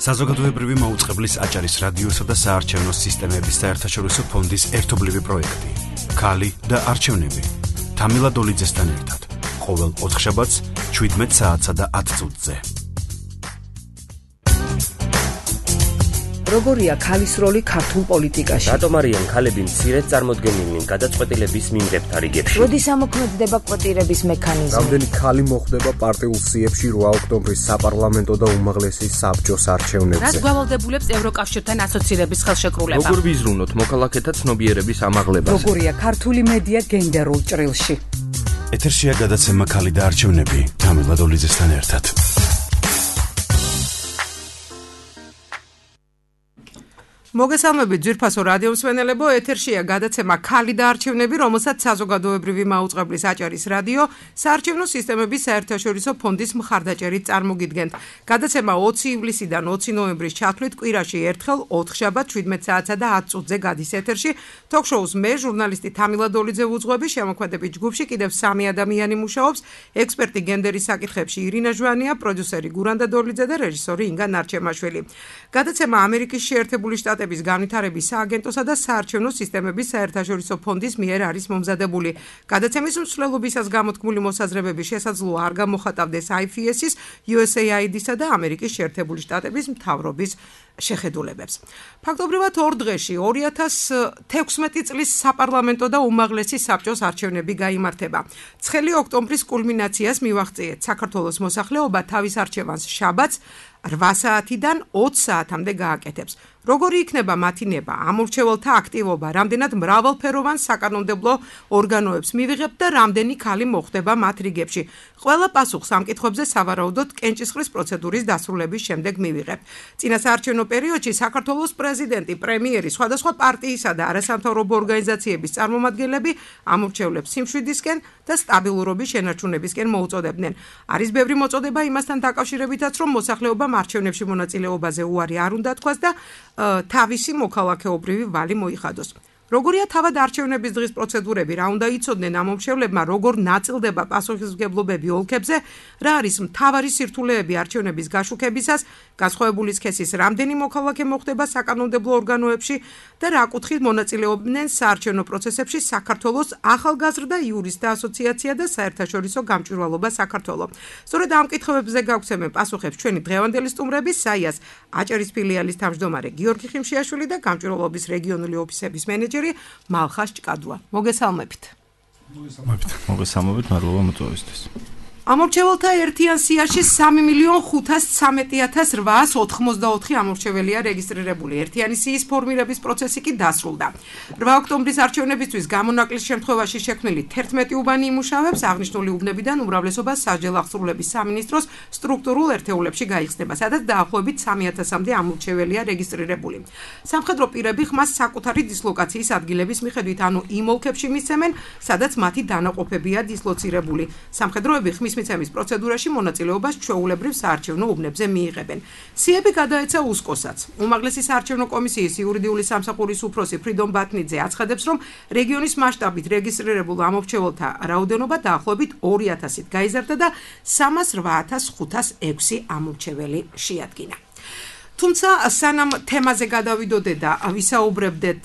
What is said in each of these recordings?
საზოგადოებრივი მაუწყებლის აჭარის რადიოსა და საარჩევნო სისტემების საერთაშორისო ფონდის ერთობლივი პროექტი. ქალი და არჩევნები. თამილა დოლიძესთან ერთად. ყოველ ოთხშაბათს 17 საათსა და 10 წუთზე. როგორია ქალის როლი ქართულ პოლიტიკაში? რატომ არიან ქალები მცირედ წარმოდგენილნი გადაწყვეტილების მიმღებთა რიგებში? როდის ამოქმედდება კვოტირების მექანიზმი? რამდენი ქალი მოხვდება პარტიულ სიებში 8 ოქტომბრის საპარლამენტო და უმაღლესი საბჭოს არჩევნებზე? რაც გვალავდებულებს ევროკავშირთან ასოცირების ხელშეკრულება? როგორ ვიზრუნოთ მოქალაქეთა ცნობიერების ამაღლებას? როგორია ქართული მედია გენდერულ ჭრილში? ეთერშია გადაცემა ქალი და არჩევნები. თამილა დოლიძესთან ერთად. მოგესალმებით ძვირფასო რადიო მსმენელებო, ეთერშია გადაცემა ქალი და არჩევნები, რომელსაც საზოგადოებრივი მაუწყებლის აჭარის რადიო საარჩევნო სისტემების საერთაშორისო ფონდის მხარდაჭერით წარმოგიდგენთ. გადაცემა 20 ივლისიდან 20 ნოემბრის ჩათვლით კვირაში ერთხელ 4 შაბათ 17 საათსა და 10 წუთზე გადის ეთერში. თოქ-შოუს მე ჟურნალისტი თამილა დოლიძე ვუძღვები, შემოქმედებით ჯგუფში კიდევ 3 ადამიანი მუშაობს, ექსპერტი გენდერის საკითხებში ირინა ჟვანია, პროდიუსერი გურანდა დოლიძე და რეჟისორი ინგა ნარჩემაშვილი. გადაცემა ამერიკის შეერთებული შტატების განვითარების სააგენტოსა და საარჩევნო სისტემების საერთაშორისო ფონდის მიერ არის მომზადებული. გადაცემის მსვლელობისას გამოთქმული მოსაზრებები შესაძლოა არ გამოხატავდეს IFS-ის, USAID-სა და ამერიკის შეერთებული შტატების მთავრობის შეხედულებებს. ფაქტობრივად ორ დღეში 2016 წლის საპარლამენტო და უმაღლესი საბჭოს არჩევნები გაიმართება. 9 ოქტომბრის კულმინაციას მივაღწიეთ. საქართველოს მოსახლეობა თავის არჩევანს შაბათს 8 საათიდან 20 საათამდე გააკეთებს. როგორი იქნება მათი ნება, ამორჩეველთა აქტივობა, რამდენად მრავალფეროვან საკანონმდებლო ორგანოებს მივიღებთ და რამდენი ქალი მოხვდება მათ რიგებში. ყველა პასუხს ამ კითხვებზე სავარაუდოდ კენჭისყრის პროცედურის დასრულების შემდეგ მივიღებთ. წინასაარჩევნო პერიოდში საქართველოს პრეზიდენტი, პრემიერი, სხვადასხვა პარტიისა და არასამთავრობო ორგანიზაციების წარმომადგენლები ამორჩევლებს სიმშვიდისკენ და სტაბილურობის შენარჩუნებისკენ მოუწოდებდნენ. არის ბევრი მოწოდება იმასთან დაკავშირებითაც, რომ მოსახლეობამ არჩევნებში მონაწილეობაზე უარი არ უნდა თქვას და თავისი მოქალაქეობრივი ვალი მოიხადოს. როგორია თავად არჩევნების დღის პროცედურები, რა უნდა იცოდნენ ამომრჩევლებმა, როგორ ნაწილდება პასუხისმგებლობები ოლქებზე, რა არის მთავარი სირთულეები არჩევნების გაშუქებისას, განსხვავებული სქესის რამდენი მოქალაქე მოხვდება საკანონმდებლო ორგანოებში და რა კუთხით მონაწილეობდნენ საარჩევნო პროცესებში საქართველოს ახალგაზრდა იურისტთა ასოციაცია და საერთაშორისო გამჭვირვალობა საქართველო. სწორედ ამ კითხვებზე გავგზავნებთ პასუხებს ჩვენი დღევანდელი სტუმრების, საიას აჭარის ფილიალის თავმჯდომარე გიორგი ხიმშიაშვილი და გამჭვირვალობის რეგიონული ოფისების მენეჯერი მალხას ჭკადვა. მოგესალმებით. მოგესალმებით, მადლობა მოწვევისთვის. ამორჩეველთა ერთიან სიაში 3,513,894 ამორჩეველია რეგისტრირებული. ერთიანი სიის ფორმირების პროცესი კი დასრულდა. 8 ოქტომბრის არჩევნებისთვის გამონაკლის შემთხვევაში შექმნილი 11 უბანი იმუშავებს, აღნიშნული უბნებიდან უმრავლესობა სასჯელ აღსრულების სამინისტროს სტრუქტურულ ერთეულებში გაიხსნება, სადაც დაახლოებით 3,000-მდე ამორჩეველია რეგისტრირებული. სამხედრო პირები ხმას საკუთარი დისლოკაციის ადგილების მიხედვით, ანუ იმ ოლქებში მისცემენ, სადაც მათი დანაყოფებია დისლოცირებული. სამხედროები ხმის მიცემის პროცედურაში მონაწილეობას ჩვეულებრივ საარჩევნო უბნებზე მიიღებენ. სიები გადაეცა უსკოსაც. უმაღლესი საარჩევნო კომისიის იურიდიული სამსახურის უფროსი ფრიდონ ბათნიძე აცხადებს, რომ რეგიონის მასშტაბით რეგისტრირებულ ამორჩეველთა რაოდენობა დაახლოებით 2000-ით გაიზარდა და 308,506 ამორჩეველი შეადგინა. თუმცა სანამ თემაზე გადავიდოდე და ვისაუბრებდეთ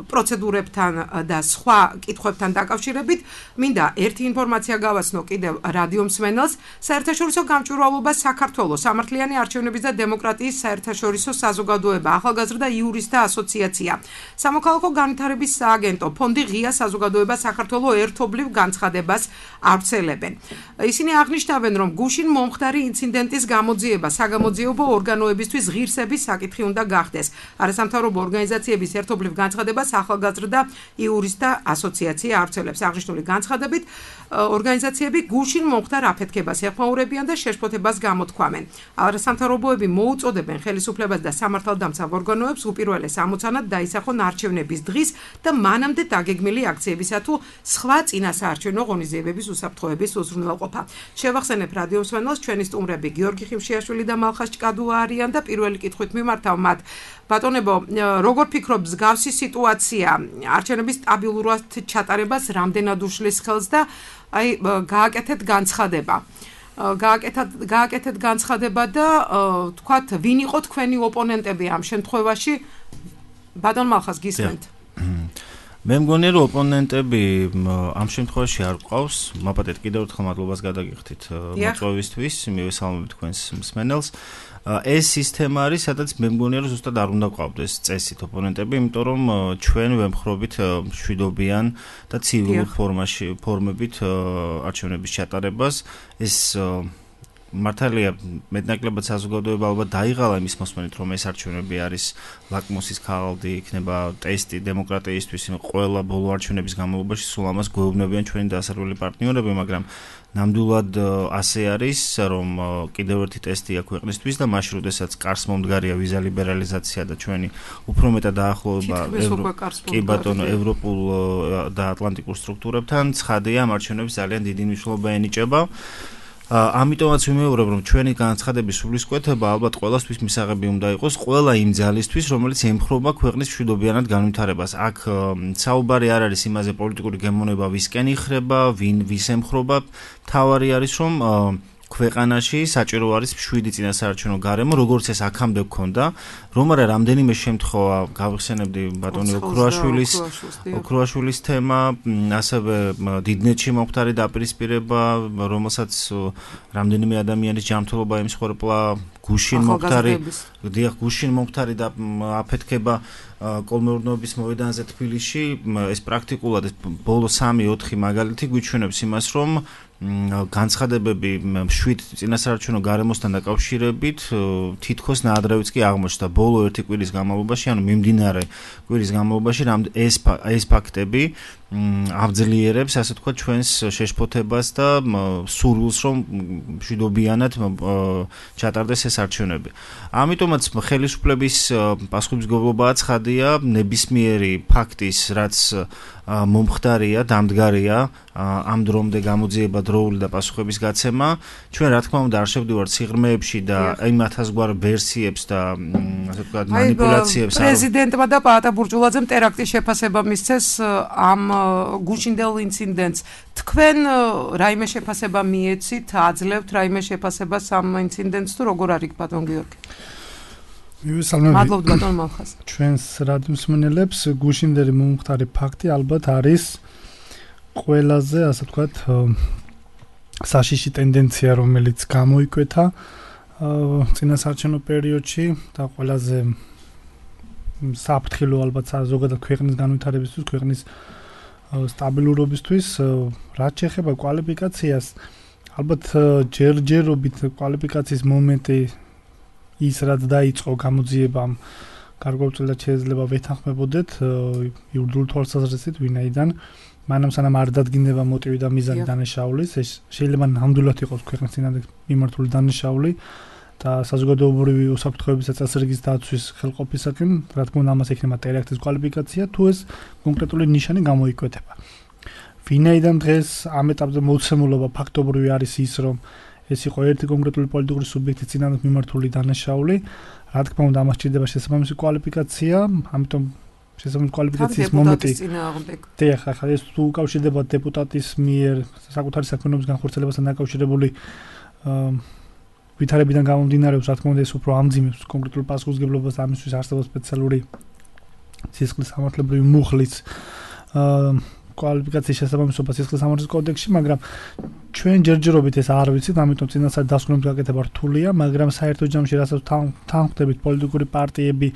პროცედურებთან და სხვა კითხვებთან დაკავშირებით, მინდა ერთი ინფორმაცია გავაცნო კიდევ რადიო მსმენელს. საერთაშორისო გამჭვირვალობა საქართველოს სამართლიანი არჩევნების და დემოკრატიის საერთაშორისო საზოგადოება, ახალგაზრდა იურისტთა ასოციაცია, სამოქალაქო განვითარების სააგენტო, ფონდი ღია საზოგადოება საქართველოს ერთობლივ განცხადებას ავრცელებენ. ისინი აღნიშნავენ, რომ გუშინ მომხდარი ინციდენტის გამოძიება საგამოძიებო ორგანოებისთვის ღირსების საკითხი უნდა გახდეს. არასამთავრობო ორგანიზაციების ერთობლივ განცხადებას ახალგაზრდა იურისტთა ასოციაცია ავრცელებს. აღნიშნული განცხადებით ორგანიზაციები გუშინ მომხდარ აფეთქებას ეხმაურებიან და შეშფოთებას გამოთქვამენ. არასამთავრობოები მოუწოდებენ ხელისუფლებას და სამართალდამცავ ორგანოებს უპირველეს ამოცანად დაისახონ არჩევნების დღის და მანამდე დაგეგმილი აქციებისა თუ სხვა წინასაარჩევნო ღონისძიებების უსაფრთხოების უზრუნველყოფა. შევახსენებ რადიო მსმენელს, ჩვენი სტუმრები გიორგი ხიმშიაშვილი და მალხას ჭკადვა არიან და პირველი კითხვით მიმართავ მათ. ბატონებო, როგორ ფიქრობ, მსგავსი სიტუაცია არჩევნების სტაბილურად ჩატარებას რამდენად უშლის ხელს და გააკეთეთ განცხადება. გააკეთეთ განცხადება და თქვათ, ვინ იყო თქვენი ოპონენტები ამ შემთხვევაში? ბატონ მალხას გისმენთ. მე მგონია რომ ოპონენტები ამ შემთხვევაში არ ყავს. მაპატეთ კიდევ ერთხელ მადლობას გადაგიხდით მოწვევისთვის, მივესალმებით თქვენს მსმენელს. ეს სისტემა არის, სადაც მე მგონია რომ ზუსტად არ უნდა ყავდეს წესით ოპონენტები, იმიტომ რომ ჩვენ ვემხრობით მშვიდობიან და ცივილ ფორმებით არჩევნების ჩატარებას. ეს მართალია მეტნაკლებად საზოგადოება ალბათ დაიღალა იმის მოსმენით, რომ ეს არჩევნები არის ლაკმუსის ქაღალდი, იქნება ტესტი დემოკრატიისთვის, ყველა ბოლო არჩევნების განმავლობაში სულ ამას გვეუბნებიან ჩვენი დასავლელი პარტნიორები, მაგრამ ნამდვილად ასე არის, რომ კიდევ ერთი ტესტია ქვეყნისთვის და მაშინ, როდესაც კარს მომდგარია ვიზა ლიბერალიზაცია და ჩვენი უფრო მეტად დაახლოება ევროპულ და ატლანტიკურ სტრუქტურებთან, ცხადია, ამ არჩევნებს ძალიან დიდი მნიშვნელობა ენიჭება. ამიტომაც ვიმეორებ, რომ ჩვენი განცხადების სულისკვეთება ალბათ ყველასთვის მისაღები უნდა იყოს, ყველა იმ ძალისთვის, რომელიც ემხრობა ქვეყნის მშვიდობიანად განვითარებას. აქ საუბარი არ არის იმაზე პოლიტიკური გემოვნება ვისკენ იხრება, ვის ემხრობა, მთავარი არის, რომ ქვეყანაში საჭირო არის მშვიდი წინასაარჩევნო გარემო, როგორც ეს აქამდე გქონდა, რომ არა რამდენიმე შემთხვევა გავიხსენებდი ბატონი ოქროაშვილის თემა, ასევე დიდნეთში მომხდარი დაპირისპირება, რომელსაც რამდენიმე ადამიანის ჯანმრთელობა ემსხვერპლა, გუშინ მომხდარი და აფეთქება კოლმეურნეობის მოედანზე თბილისში, ეს პრაქტიკულად ბოლო 3-4 მაგალითი გვიჩვენებს იმას, რომ განცხადებები მშვიდ წინასაარჩევნო გარემოსთან დაკავშირებით თითქოს ნაადრევიც კი აღმოჩნდა ბოლო 1 კვირის განმავლობაში, ანუ მიმდინარე კვირის განმავლობაში ეს ფაქტები აღძლიერებს, ასე თქვა, ჩვენს შეშფოთებას და სურვილს, რომ მშვიდობიანად ჩატარდეს ეს არჩევნები. ამიტომაც ხელისუფლების პასუხისმგებლობაა ცხადია, ნებისმიერი ფაქტის, რაც მომხდარია, დამდგარია, ამ დრომდე გამოძიება დროული და პასუხების გაცემა. ჩვენ რა თქმა უნდა არ შევდივართ სიღრმეებში და იმ ათასგვარ ვერსიებს და ასე ვთქვათ მანიპულაციებს. პრეზიდენტმა და პაატა ბურჯულაძემ ტერაქტის შეფასება მისცეს ამ გუშინდელ ინციდენტს. თქვენ რაიმე შეფასება მიეცით, აძლევთ რაიმე შეფასებას ამ ინციდენტს თუ როგორ არის ბატონ გიორგი? მადლობთ ბატონ მალხას. ჩვენს რადიოსმენელებს გუშინდელი მომხდარი ფაქტი ალბათ არის ყველაზე, ასე ვთქვათ, საშიში ტენდენცია, რომელიც გამოიკვეთა წინასაარჩევნო პერიოდში და ყველაზე საფრთხილო ალბათ ზოგადად ქვეყნის განვითარებისთვის, ქვეყნის სტაბილურობისთვის, რაც შეეხება კვალიფიკაციას, ალბათ ჯერჯერობით კვალიფიკაციის მომენტი ის რაც დაიწყო გამოძიებამ გარკვეულწილად შეიძლება ვეთანხმებოდეთ იურიდიულ თვალსაზრისით ვინაიდან მანამ სანამ არ დადგინდება მოტივი და მიზანი დანაშაულის, ეს შეიძლება ნამდვილად იყოს ქვეყნის წინააღმდეგ მიმართული დანაშაული და საზოგადოებრივი უსაფრთხოების წესრიგის დაცვის ხელყოფისაკენ, რა თქმა უნდა, ამას ექნება ტერაქტის კვალიფიკაცია, თუ ეს კონკრეტული ნიშანი გამოიკვეთა. ვინაიდან დღეს ამ ეტაპზე მოცემულობა ფაქტობრივი არის ის, რომ ეს იყო ერთი კონკრეტული პოლიტიკური სუბიექტის წინააღმდეგ მიმართული დანაშაული, რა თქმა უნდა, ამას ჭირდება შესაბამისი კვალიფიკაცია, ამიტომ შესაბამისი კვალიფიკაციის მომენტი. ახლა ეს თუ უკავშირდება დეპუტატის მიერ საკუთარი საქმიანობის განხორციელებასთან დაკავშირებული ვითარებიდან გამომდინარეობს, რა თქმა უნდა, ეს უფრო ამძიმებს კონკრეტულ პასუხისმგებლობას და ამისთვის არსებობს სპეციალური სისხლის სამართლებრივი მუხლის კვალიფიკაციის შესაბამისობა სისხლის სამართლის კოდექსში, მაგრამ ჩვენ ჯერჯერობით ეს არ ვიცით, ამიტომ წინასწარ დასკვნების გაკეთება რთულია, მაგრამ საერთო ჯამში რასაც თანხმდებით პოლიტიკური პარტიები,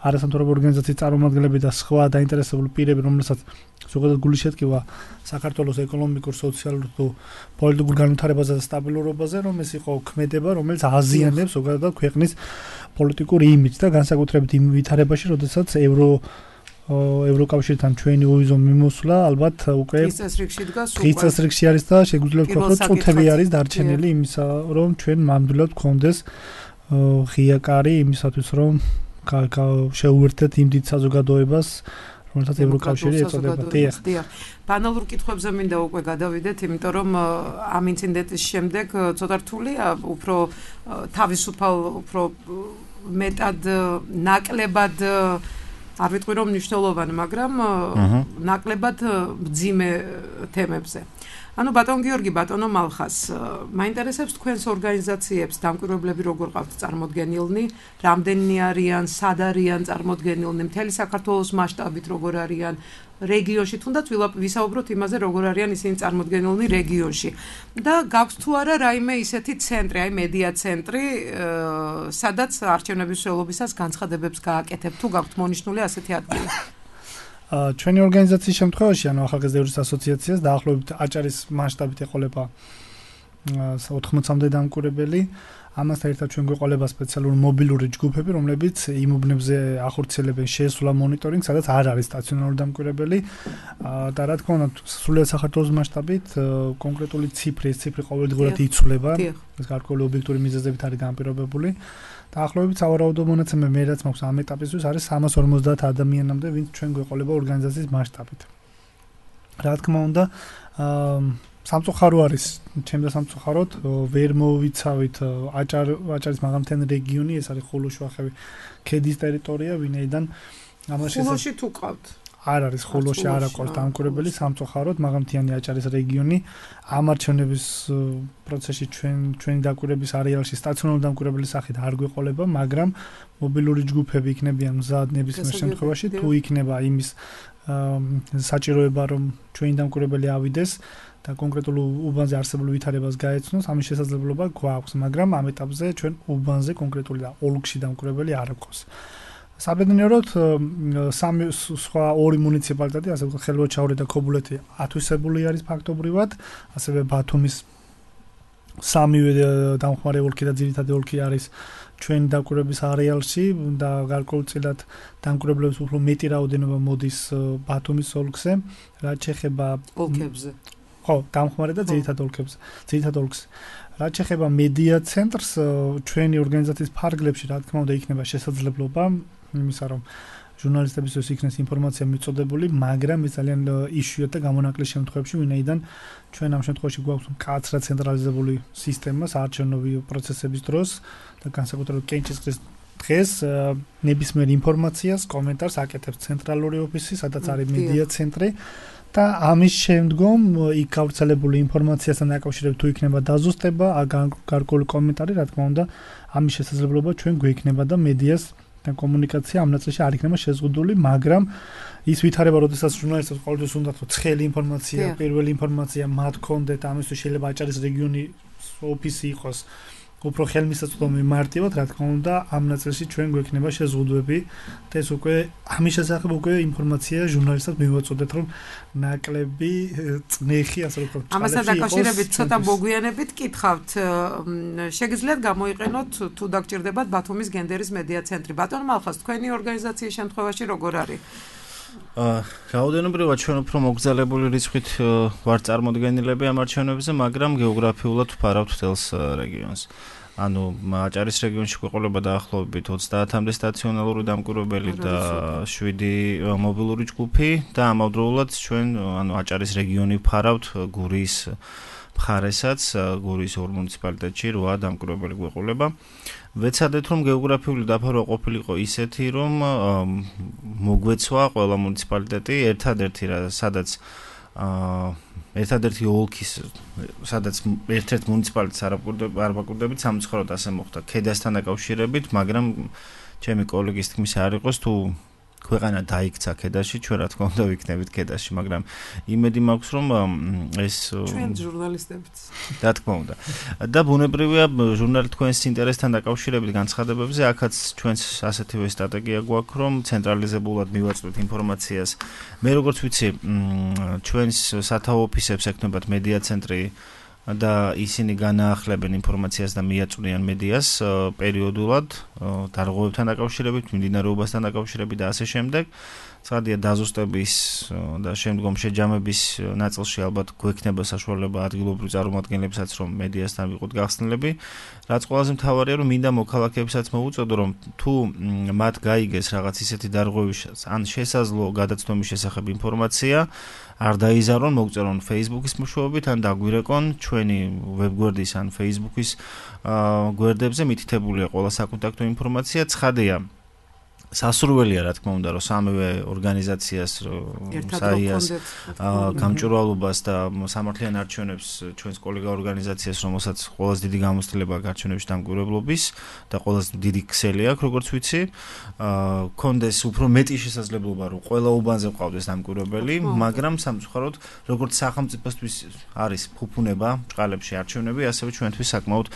არასამთავრობო ორგანიზაციის წარმომადგენლები და სხვა დაინტერესებული პირები, რომელსაც ზოგადად გული შეtkივა საქართველოს ეკონომიკურ, სოციალურ და პოლიტიკურ განვითარებაზე და სტაბილურობაზე, რომ ეს იყო ქმედება, რომელიც აზიანებს ზოგადად ქვეყნის პოლიტიკურ იმიჯს და განსაკუთრებით იმ ვითარებაში, როდესაც ევროკავშირთან ჩვენი უვიზო მიმოსვლა ალბათ უკვე დღის წესრიგში არის და შეგვიძლია ვთქვათ, რომ წუთები არის დარჩენილი იმისა, რომ ჩვენ ნამდვილად გქონდეს ღია კარი იმისათვის, რომ შეუერთდეთ იმ დიდ საზოგადოებას, რომელსაც ევროკავშირი ეწოდება. ბანალურ კითხვებზე მინდა უკვე გადავიდეთ, იმიტომ რომ ამ ინციდენტის შემდეგ ცოტა რთულია, უფრო თავისუფალ, უფრო მეტად ნაკლებად არ ვიტყვი რომ მნიშვნელოვანი, მაგრამ ნაკლებად მძიმე თემებზე. ანუ ბატონ გიორგი, ბატონო მალხას, მაინტერესებს თქვენს ორგანიზაციებს დამკვირვებლები როგორ ყავთ წარმოდგენილნი, რამდენი არიან, სად არიან წარმოდგენილნი, მთელი საქართველოს მასშტაბით როგორ არიან, რეგიონში თუნდაც ვისაუბროთ იმაზე, როგორ არიან ისინი წარმოდგენილნი რეგიონში. და გაქვთ თუ არა რაიმე ისეთი ცენტრი, აი მედია ცენტრი, სადაც არჩევნების მსვლელობისას განცხადებებს გააკეთებთ, თუ გაქვთ მონიშნული ასეთი ადგილი? ჩვენი ორგანიზაციის შემთხვევაში, ანუ ახალგაზრდების ასოციაციას დაახლოებით აჭარის მასშტაბით ეყოლება 80-მდე დამკვირვებელი. ამასთან ერთად ჩვენ გვეყოლება სპეციალური მობილური ჯგუფები, რომლებიც იმ უბნებზე ახორციელებენ შესვლა მონიტორინგს, სადაც არ არის სტაციონარული დამკვირვებელი. და რა თქმა უნდა, სრულიად საქართველოს მასშტაბით კონკრეტული ციფრი ყოველდღურად იცვლება. ეს გარკვეული ობიექტური მიზეზებით არის განპირობებული. დაახლოებით სავარაუდო მონაცემები მე რაც მაქვს ამ ეტაპისთვის არის 350 ადამიანამდე, ვინც ჩვენ გვეყოლება ორგანიზაციის მასშტაბით. რა თქმა უნდა, სამწუხარო არის, ჩემდა სამწუხაროდ, ვერ მოვიცავით აჭარის მაღალმთიანი რეგიონი, ეს არის ხულოშუახევი ქედის ტერიტორია, ვინაიდან ამაში ხულოში თუ ყავთ? არ არის ხულოში არ აქვს დამკვირვებელი, სამწუხაროდ მაღალმთიანი აჭარის რეგიონი ამ არჩევნების პროცესში ჩვენი დაკვირვების არეალში სტაციონარული დამკვირვებლის სახით არ გვეყოლება, მაგრამ მობილური ჯგუფები იქნებიან მზად ნებისმიერ შემთხვევაში, თუ იქნება იმის საჭიროება, რომ ჩვენი დამკვირვებელი ავიდეს და კონკრეტულ უბანზე არსებულ ვითარებას გაეცნოს, ამის შესაძლებლობა გვაქვს, მაგრამ ამ ეტაპზე ჩვენ უბანზე კონკრეტული და ოლქში დამკვირვებელი არ აქვს. საბედნიეროდ სამი სხვა ორი მუნიციპალიტეტი, ასე ვთქვათ, ხელვაჩაური და ქობულეთი ათვისებული არის ფაქტობრივად, ასევე ბათუმის სამივე დამხმარე ოლქი და ძირითადი ოლქი არის ჩვენი დამკვირვების არეალში და გარკვეულწილად დამკვირვებლების უფრო მეტი რაოდენობა მოდის ბათუმის ოლქზე, რაც შეეხება ოლქებზე. ხო, დამხმარე და ძირითად ოლქებზე. რაც შეეხება მედია ცენტრს, ჩვენი ორგანიზაციის ფარგლებში, რა თქმა უნდა, იქნება შესაძლებლობა იმისა, რომ ჟურნალისტებისთვის იქნეს ინფორმაცია მიწოდებული, მაგრამ ეს ძალიან იშვიათ და გამონაკლის შემთხვევებში, ვინაიდან ჩვენ ამ შემთხვევაში გვაქვს მკაცრად ცენტრალიზებული სისტემა საარჩევნო პროცესების დროს და განსაკუთრებით კენჭისყრის დღეს ნებისმიერ ინფორმაციას, კომენტარს აკეთებს ცენტრალური ოფისი, სადაც არის მედია ცენტრი. და ამის შემდგომ იქ გავრცელებული ინფორმაციასთან დაკავშირებით თუ იქნება დაზუსტება, გარკვეული კომენტარი, რა თქმა უნდა, ამის შესაძლებლობა ჩვენ გვექნება და მედიას და კომუნიკაცია ამ ნაწილში არ იქნება შეზღუდული, მაგრამ ის ვითარება, როდესაც ჟურნალისტებს ყოველთვის უნდა თქო ცხელი ინფორმაცია, პირველი ინფორმაცია მათ კონდეთ, ამისთვის შეიძლება აჭარის რეგიონის ოფისი იყოს უფრო ხელმისაწვდომი მარტივად, რა თქმა უნდა, ამ ნაწილში ჩვენ გვექნება შეზღუდვები და ეს უკვე ამის შესახებ უკვე ინფორმაცია ჟურნალისტებს მივაწოდეთ, რომ ნაკლები წნეხი, ასე ვთქვათ, ამასთან დაკავშირებით ცოტა მოგვიანებით კითხავთ, შეგიძლიათ გამოიყენოთ თუ დაგჭირდებათ ბათუმის გენდერის მედია ცენტრი. ბატონ მალხას, თქვენი ორგანიზაციის შემთხვევაში როგორ არის? რაოდენობრივად ჩვენ უფრო მოგზალებული რიცხვით ვარ წარმოდგენილები ამ არჩევნებზე, მაგრამ გეოგრაფიულად ვფარავთ თელს რეგიონს. ანუ აჭარის რეგიონში გვეყოლება დაახლოებით 30-მდე სტაციონალური დამკვირვებელი და 7 მობილური ჯგუფი და ამავდროულად ჩვენ ანუ აჭარის რეგიონი ვფარავთ გურიის მხარესაც, გურიის ორ მუნიციპალიტეტში 8 დამკვირვებელი გვეყოლება. ვეცადეთ რომ გეოგრაფიული დაფარვა ყოფილიყო ისეთი, რომ მოგვეცვა ყველა მუნიციპალიტეტი ერთადერთი ოლქის, სადაც ერთ-ერთ მუნიციპალიტეტს არ ვაკვირდებით, სამწუხაროდ ასე მოხდა ქედასთან დაკავშირებით, მაგრამ ჩემი კოლეგის თქმის არ იყოს თუ ქვეყანა დაიქცა ქედაში, ჩვენ რა თქმა უნდა ვიქნებით ქედაში, მაგრამ იმედი მაქვს რომ ეს ჩვენ ჟურნალისტებიც რა თქმა უნდა. და ბუნებრივია ჟურნალი თქვენს ინტერესთან დაკავშირებით განცხადებებზე, აქაც ჩვენს ასეთივე სტრატეგია გვაქვს, რომ ცენტრალიზებულად მივაწვდით ინფორმაციას. მე როგორც ვიცი, ჩვენს სათავო ოფისებს ექნებათ მედია ცენტრი და ისინი განაახლებენ ინფორმაციას და მიაწვდიან მედიას პერიოდულად დარღვევებთან დაკავშირებით, მიმდინარეობასთან დაკავშირებით და ასე შემდეგ. ცხადია დაზუსტების და შემდგომ შეჯამების ნაწილში ალბათ გვექნება საშუალება ადგილობრივ წარმომადგენლებსაც რომ მედიასთან ვიყოთ გახსნილები. რაც ყველაზე მთავარია რომ მინდა მოქალაქეებსაც მოუწოდო რომ თუ მათ გაიგეს რაღაც ისეთი დარღვევის ან შესაძლო გადაცდომის შესახებ ინფორმაცია, არ დაიზარონ, მოგწერონ Facebook-ის მეშვეობით ან დაგვირეკონ ჩვენი ვებგვერდის ან Facebook-ის გვერდებზე მითითებულია ყველა საკონტაქტო ინფორმაცია. ცხადია სასურველია რა თქმა უნდა რომ სამივე ორგანიზაციას საიას გამჭვირვალობას და სამართლიან არჩევნებს ჩვენს კოლეგა ორგანიზაციას რომელსაც ყველაზე დიდი გამოცდილება აქვს არჩევნებში დამკვირვებლობის და ყველაზე დიდი ქსელი აქვს როგორც ვიცი კონდეს უფრო მეტი შესაძლებლობა რომ ყველა უბანზე ყავდეს დამკვირვებელი მაგრამ სამწუხაროდ როგორც სახელმწიფოსთვის არის ფუფუნება ჭყალებში არჩევნები ასევე ჩვენთვის საკმაოდ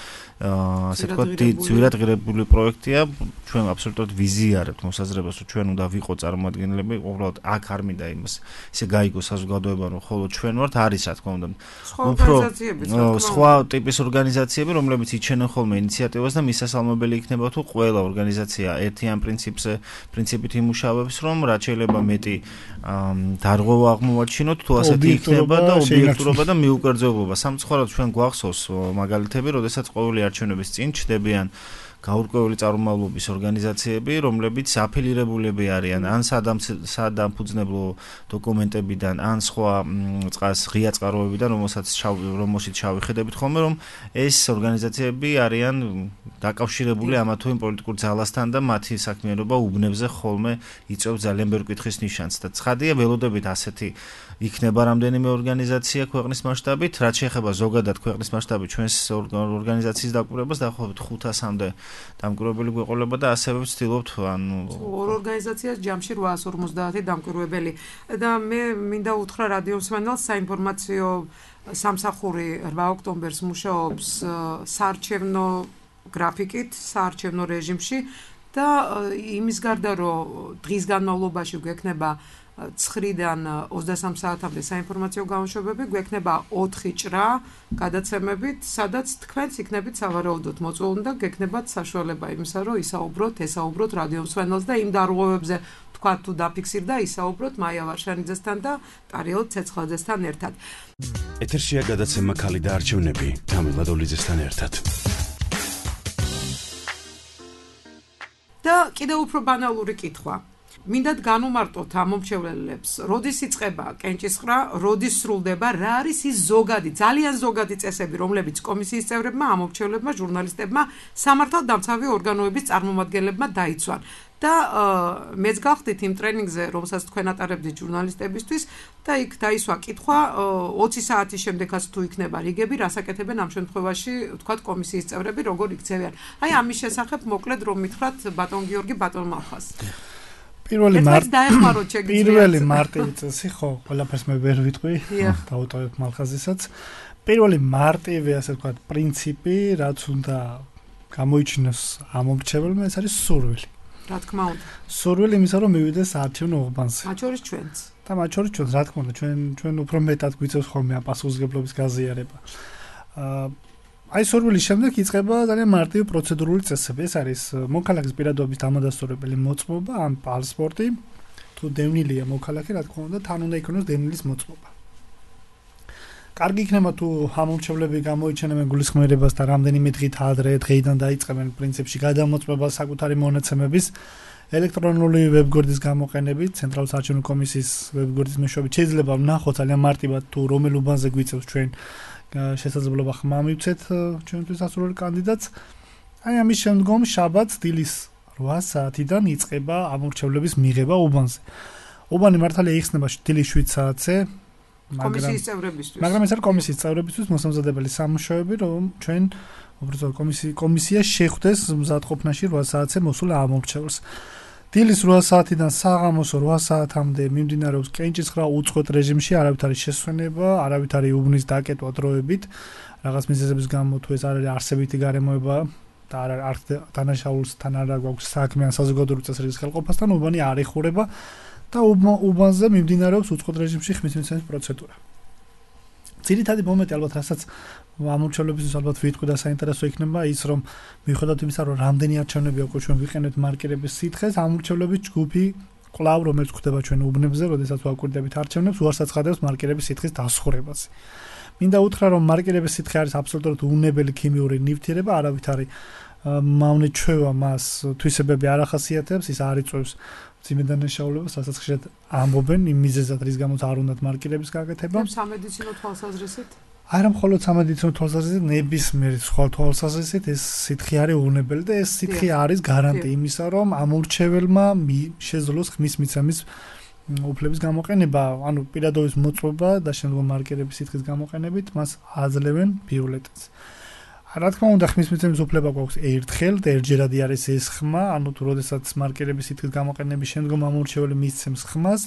ასე ვთქვათ ძვირად ღირებული პროექტია ჩვენ აბსოლუტურად ვიზიარებთ მოსაზრებას რომ ჩვენ უნდა ვიყო წარმომადგენლები უბრალოდ აქ არ მინდა იმას ისე გაიგო საზოგადოება რომ ხოლო ჩვენ ვართ არის რა თქმა უნდა უფრო სხვა ტიპის ორგანიზაციები რომლებიც იჩენენ ხოლმე ინიციატივას და მისასალმებელი იქნება თუ ყველა ორგანიზაცია ერთიან პრინციპით იმუშავებს რომ რაც შეიძლება მეტი დარღვევა აღმოვაჩინოთ თუ ასეთი იქნება და ობიექტურობა და მიუკერძოებობა სამწუხაროდ ჩვენ გვახსოვს მაგალითები როდესაც ყოველი არჩევნების წინ ჩდებიან გაურკვეველი წარმომავლობის ორგანიზაციები, რომლებიც აფილირებულები არიან ან სადამფუძნებლო დოკუმენტებიდან, ან სხვა ღია წყაროებიდან, რომელშიც შევხედებით ხოლმე, რომ ეს ორგანიზაციები არიან დაკავშირებული ამა თუ იმ პოლიტიკურ ძალასთან და მათი საქმიანობა უბნებზე ხოლმე იწვევს ძალიან ბევრ კითხვის ნიშანს და ცხადია ველოდებით ასეთი იქნება რამდენიმე ორგანიზაცია ქვეყნის მასშტაბით, რაც შეეხება ზოგადად ქვეყნის მასშტაბით ჩვენს ორგანიზაციის დაკვირვებას დაახლოებით 500-მდე დამკვირვებელი გვეყოლება და ასევე ვცდილობთ ანუ ორ ორგანიზაციას ჯამში 850 დამკვირვებელი და მე მინდა უთხრა რადიო მსმენელს საინფორმაციო სამსახური 8 ოქტომბერს მუშაობს საარჩევნო გრაფიკით, საარჩევნო რეჟიმში და იმის გარდა რომ დღის განმავლობაში გვექნება 9-დან 23 საათამდე საინფორმაციო გამოშვებები, გვექნება 4 ჭრა გადაცემებით, სადაც თქვენც იქნებით სავარაუდოდ მოწვეული და გექნებათ საშუალება იმისა, რომ ესაუბროთ რადიო მსმენელს და იმ დარღვევებზე თქვა თუ დაფიქსირდა, ისაუბროთ მაია ვარშანიძესთან და ტარიელ ცეცხლაძესთან ერთად. ეთერშია გადაცემა ქალი და არჩევნები თამილა დოლიძესთან ერთად. და კიდევ უფრო ბანალური კითხვა. მინდათ განუმარტოთ ამ მომრჩევლებს, როდის იწყება კენჭისყრა, როდის სრულდება, რა არის ის ზოგადი, ძალიან ზოგადი წესები, რომლებიც კომისიის წევრებმა, ამ მომრჩევლებმა, ჟურნალისტებმა, სამართალდამცავი ორგანოების წარმომადგენლებმა დაიცვან. და მეც გავხდით იმ ტრენინგზე, რომელსაც თქვენ ატარებდით ჟურნალისტებისთვის და იქ დაისვა კითხვა 20 საათის შემდეგაც თუ იქნება რიგები, რას აკეთებენ ამ შემთხვევაში, ვთქვათ, კომისიის წევრები, როგორ იქცევიან. აი ამის შესახებ მოკლედ რომ მითხრათ ბატონ გიორგი ბატონ მალხას. პირველი მარტივი წესი ხო, ყველაფერს მე ვერ ვიტყვი, დავუტოვებ მალხაზისაც. პირველი მარტივი, ასე ვთქვათ, პრინციპი, რაც უნდა გამოიჩინოს ამ მომრჩეველმა, ეს არის სურვილი. რა თქმა უნდა. სურვილი იმისა, რომ მივიდეს საარჩევნო უბანზე. მათ შორის ჩვენც. და მათ შორის ჩვენც, რა თქმა უნდა, ჩვენ უფრო მეტად გვიწევს ხოლმე ამ პასუხისმგებლობის გაზიარება. აი სურვილის შემდეგ იწყება ძალიან მარტივი პროცედურული წესები. ეს არის მოქალაქის პირადობის დამადასტურებელი მოწმობა ან პასპორტი. თუ დევნილია მოქალაქე, რა თქმა უნდა, თან უნდა იქონოს დევნის მოწმობა. კარგი იქნება თუ ამომრჩევლები გამოიჩენებენ გულისხმიერებას და რამდენიმე დღით ადრე დღეიდან დაიწყებენ პრინციპში გადამოწმებას საკუთარი მონაცემების ელექტრონული ვებგვერდის გამოყენებით, ცენტრალური საარჩევნო კომისიის ვებგვერდის მეშვეობით შეიძლება ვნახოთ ძალიან მარტივად თუ რომელ უბანზე გვიწევს ჩვენ შესაძლებლობა ხმა მივცეთ ჩვენთვის ასურველი კანდიდატს. აი ამის შემდგომ შაბათს დილის 8 საათიდან იწყება ამომრჩევლების მიღება უბანზე. უბანი მართალია იხსნება დილის 7 საათზე, კომისიის წევრებისთვის. მაგრამ ეს არის კომისიის წევრებისთვის მოსამზადებელი სამუშაოები, რომ ჩვენ უბრალოდ კომისია შეხვდეს მზადყოფნაში 8 საათზე მოსულ ამომრჩევლს. დილის 8 საათიდან საღამოს 8 საათამდე მიმდინარეობს კენჭისყრა უწყვეტ რეჟიმში, არავით არის შესვენება, არავით არის უბნის დაკეტვა დროებით, რაღაც მიზეზების გამო თუ ეს არის არსებითი გარემოება და არ დანაშაულსთან არ გვაქვს საქმე ან საზოგადოებრივი წესრიგის ხელყოფასთან, უბანი არ ეხურება და უბანზე მიმდინარეობს უწყვეტ რეჟიმში ხმისმიცემის პროცედურა. ძირითადი მომენტი ალბათ რასაც ამომრჩევლებისთვის ალბათ ვიტყვი და საინტერესო იქნება ის რომ მიუხედავად იმისა რომ რამდენი არჩევნები უკვე ჩვენ ვიყენებთ მარკირების სითხეს, ამომრჩევლების ჯგუფი კვლავ რომელიც ხდება ჩვენ უბნებზე, როდესაც ვაკვირდებით არჩევნებს, უარს აცხადებს მარკირების სითხის დასხურებაზე. მინდა უთხრა რომ მარკირების სითხე არის აბსოლუტურად უნებელი ქიმიური ნივთიერება, არავით არის მავნე ჩვევა მას თვისებები არ ახასიათებს, ის არ იწვევს ძიმედანაშაულებას, რასაც ხშირად ამბობენ იმ მიზეზად, რის გამოც არ უნდათ მარკირების გაკეთება. სამედიცინო თვალსაზრისით? არა მხოლოდ სამედიცინო თვალსაზრისით, ნებისმიერ სხვა თვალსაზრისით ეს სითხე არის უვნებელი და ეს სითხე არის გარანტი იმისა, რომ ამორჩეველმა შეძლოს ხმის მიცემის უფლების გამოყენება, ანუ პირადობის მოწვევა და შემდგომ მარკერების სითხის გამოყენებით მას აძლევენ ბიულეტენს. რა თქმა უნდა, ხმის მიცემის უფლება გვაქვს ერთხელ და ერთჯერადი არის ეს ხმა, ანუ თუ როდესაც მარკერების სითხის გამოყენების შემდგომ ამორჩეველი მისცემს ხმას,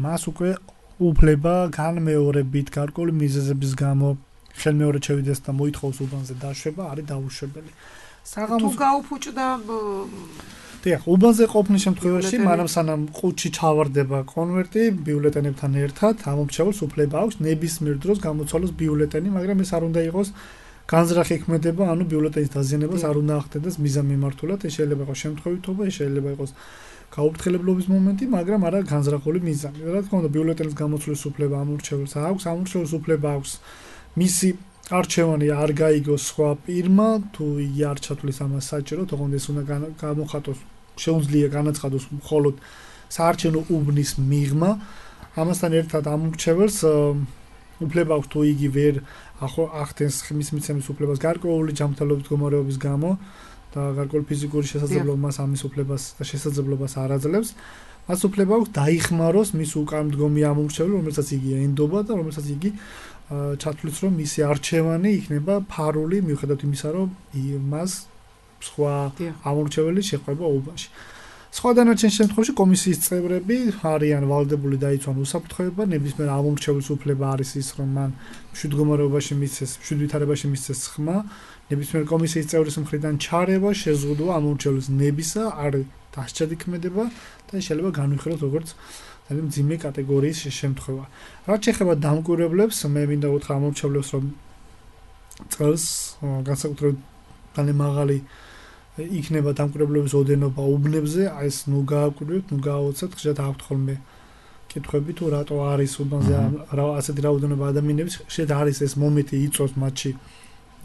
მას უკვე უფლება განმეორებით გარკვეული მიზეზების გამო ხელმეორედ შევიდეს და მოითხოვს უბანზე დაშვება არის დაუშვებელი. თუ გაუფუჭდა დიახ, უბანზე ყოფნის შემთხვევაში, მაგრამ სანამ ყუთში ჩავარდება კონვერტი ბიულეტენებთან ერთად, ამორჩეველს უფლება აქვს ნებისმიერ დროს გამოცვალოს ბიულეტენი, მაგრამ ეს არ უნდა იყოს განზრახი ქმედება, ანუ ბიულეტენის დაზიანებას არ უნდა ახდენდეს მიზანმიმართულად, ეს შეიძლება იყოს შემთხვევითობა, ეს შეიძლება იყოს გაუფრთხილებლობის მომენტი, მაგრამ არა განზრახული მიზანი. რა თქმა უნდა, ბიულეტენის გამოცვლის უფლება ამორჩეველს აქვს, ამორჩეველს უფლება აქვს მისი არჩევანი არ გაიგოს სხვა პირმა, თუ იგი არ ჩათვლის ამას საჭიროდ, თუმცა ეს უნდა გამოხატოს, შეუძლია განაცხადოს მხოლოდ საარჩევნო უბნის მიღმა. ამასთან ერთად ამორჩეველს უფლება აქვს თუ იგი ვერ ახდენს ხმის მიცემის უფლებას გარკვეული ჯანმრთელობის მდგომარეობის გამო და გარკვეული ფიზიკური შესაძლებლობა მას ამის უფლებას და შესაძლებლობას არ აძლევს. მას უფლება აქვს დაიხმაროს მის უკანმდგომი ამორჩეველი, რომელსაც იგი ენდობა და რომელსაც იგი ჩათვლის, რომ მისი არჩევანი იქნება ფარული, მიუხედავად იმისა, რომ მას სხვა ამორჩეველი შეხვება უბანში. სხვა დანარჩენ შემთხვევაში კომისიის წევრები არიან ვალდებული დაიცვან უსაფრთხოება, ნებისმიერ ამორჩეველს უფლება არის ის, რომ მან მშვიდმდგომარეობაში მისცეს, მშვიდვითარებაში მისცეს ხმა, ნებისმიერ კომისიის წევრის მხრიდან ჩარევა შეზღუდვა ამორჩეველის ნებისა არ დასჭადი ქმედება და შეიძლება განვიხილოთ როგორც ძალიან მძიმე კატეგორიის შემთხვევა. რაც შეეხება დამკვირვებლებს, მე მინდა უთხრა ამორჩევლებს, რომ წელს განსაკუთრებით ძალიან მაღალი იქნება დამკვირვებლების ოდენობა უბნებზე, ეს ნუ გააკვირვებთ, ნუ გააოცებთ, ხშირად აქვთ ხოლმე კითხვები თუ რატო არის უბნზე ასეთი რაოდენობა ადამიანების, ხშირად არის ეს მომენტი იწვევს მათში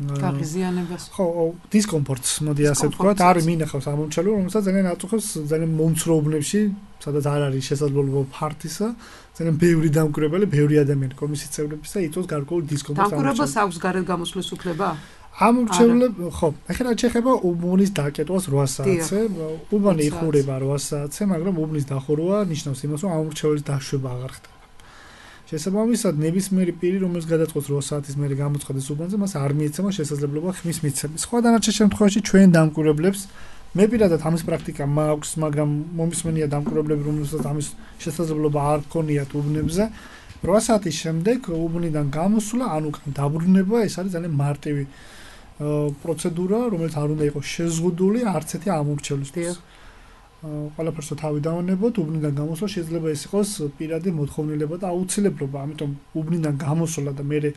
გაღიზიანებას. ხო, დისკომფორტს, მოდი ასე ვთქვათ, არის მინახავს ამორჩეველი, რომელსაც ძალიან აწუხებს ძალიან მომცრო უბნებში, სადაც არ არის შესაძლებლობა ფართისა, ძალიან ბევრი დამკვირვებელი, ბევრი ადამიანი კომისიის წევრების და იწვევს გარკვეულ დისკომფორტს. დამკვირვებას აქვს გარეთ გამოსვლის უფლება? ამორჩევლები, ხო, ახლა შეიძლება უბნის დაკეტვას 8 საათზე, უბანი იხურება 8 საათზე, მაგრამ უბნის დახურვა ნიშნავს იმას, რომ ამორჩეველის დაშვება აღარ ხდება. შესაბამისად, ნებისმიერი პირი, რომელიც გადაწყვეტს 8 საათის მერე გამოცხადეს უბანზე, მას არ მიეცემა შესაძლებლობა ხმის მიცემის. სხვა დანარჩენ შემთხვევაში ჩვენ დამკვირვებლებს, მე პირადად ამის პრაქტიკა მაქვს, მაგრამ მომისმენია დამკვირვებლები, რომელსაც ამის შესაძლებლობა არ ჰქონიათ უბნებზე. 8 საათის შემდეგ უბნიდან გამოსვლა, ანუ დაბრუნება, ეს არის ძალიან მარტივი პროცედურა, რომელიც არ უნდა იყოს შეზღუდული არც ერთი ამორჩევლისთვის. ყველაფერს თავი დავანებოთ, უბნიდან გამოსვლა შეიძლება ეს იყოს პირადი მოთხოვნილება და აუცილებლობა, ამიტომ უბნიდან გამოსვლა და მერე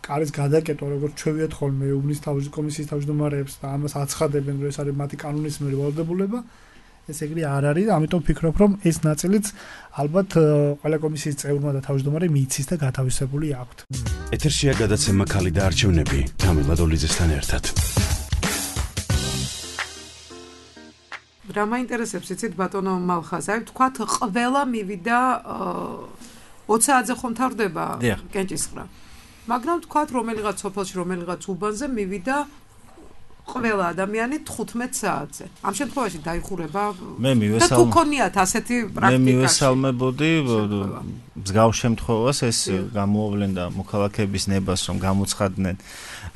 კარის გადაკეტვა, როგორც ჩვევიათ ხოლმე უბნის კომისიის თავმჯდომარეებს და ამას აცხადებენ, რომ ეს არის მათი კანონის მიერ ვალდებულება. ეს ეგრე არ არის, ამიტომ ვფიქრობ, რომ ეს ნაწილიც ალბათ ყველა კომისიის წევრმა და თავმჯდომარემ მიიცის და გათავისებული აქვთ. ეთერშია გადაცემა ქალი და არჩევნები თამილა დოლიძესთან ერთად. რა მაინტერესებს იცით ბატონო მალხაზაი, თქვათ ყველა მივიდა 20 საათზე ხომ თავდება კენჭისყრა. მაგრამ თქვათ რომელიღაც სოფელში, რომელიღაც უბანზე მივიდა ყველა ადამიანი 15 საათზე. ამ შემთხვევაში დაიხურება და თუ ქონიათ ასეთი პრაქტიკა. მე მივესალმებოდი მსგავს შემთხვევას, ეს გამოავლენდა მოქალაქეების ნებას, რომ გამოცხადდნენ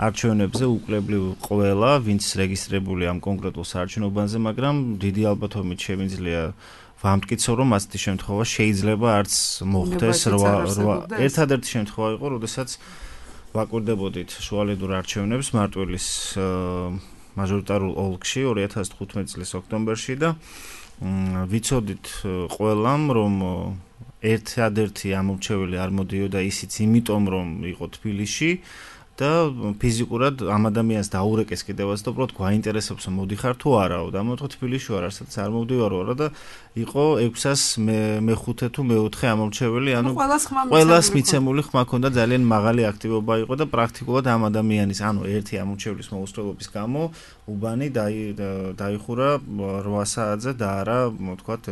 არჩევნებზე უკლებლივ ყველა, ვინც რეგისტრირებული ამ კონკრეტულ საარჩევნო უბანზე, მაგრამ დიდი ალბათობით შემიძლია ვამტკიცო, რომ ასეთი შემთხვევა შეიძლება არც მოხდეს. ერთადერთი შემთხვევა იყო, როდესაც ვაკვირდებოდით შუალედურ არჩევნებს მარტვილის მაჟორიტარულ ოლქში 2015 წლის ოქტომბერში და ვიცოდით ყველამ, რომ ერთადერთი ამორჩეველი არ მოდიოდა ისიც იმიტომ, რომ იყო თბილისში და ფიზიკურად ამ ადამიანს დაურეკეს კიდევაც და უბრალოდ გვაინტერესებს რომ მოდიხარ თუ არაო და ამოთხო თბილისში ვარ, სადაც არ მოვდივარო რა და იყო 600 მე-5 თუ მე-4 ამორჩეველი, ანუ ყველას მიცემული ხმა ქონდა, ძალიან მაღალი აქტივობა იყო და პრაქტიკულად ამ ადამიანის, ანუ ერთი ამორჩევლის მოუსწრებლობის გამო უბანი დაიხურა 8 საათზე და არა, ვთქვათ,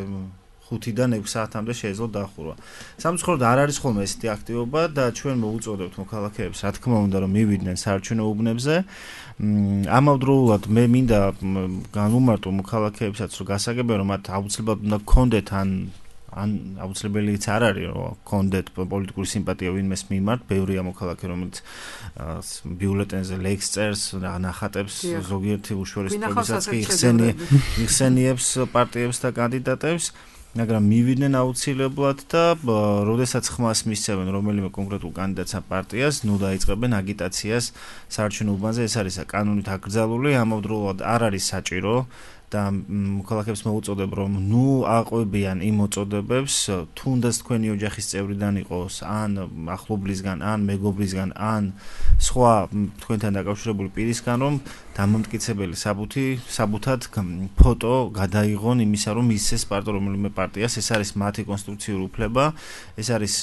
5-დან 6 საათამდე შეიძლება დაახურვა. სამწუხაროდ არ არის ხოლმე ესეთი აქტივობა და ჩვენ მოუწოდებთ მოქალაქეებს, რა თქმა უნდა, რომ მივიდნენ საარჩევნო უბნებზე. ამავდროულად მე მინდა განვუმარტო მოქალაქეებსაც, რომ გასაგებია, რომ მათ აუცილებლად უნდა გქონდეთ ან აუცილებელიც არ არის, რომ გქონდეთ პოლიტიკური სიმპათია ვინმეს მიმართ, ბევრია მოქალაქე, რომელიც ბიულეტენზე ლექს წერს, ნახატებს, ზოგიერთი უშუალესობებსაც კი იხსენიებს პარტიებს და კანდიდატებს, მაგრამ მივიდნენ აუცილებლად და როდესაც ხმას მისცემენ რომელიმე კონკრეტულ კანდიდატს ან პარტიას, ნუ დაიწყებენ აგიტაციას საარჩევნო უბანზე, ეს არის კანონით აკრძალული, ამავდროულად არ არის საჭირო და მოქალაქეებს მოუწოდებ, რომ ნუ აყვებიან იმ მოწოდებებს, თუნდაც თქვენი ოჯახის წევრიდან იყოს, ან ახლობლისგან, ან მეგობრისგან, ან სხვა თქვენთან დაკავშირებული პირისგან, რომ დამამტკიცებელი საბუთად ფოტო გადაიღონ იმისა, რომ ისეს რომელიმე პარტიას, ეს არის მათი კონსტიტუციური უფლება, ეს არის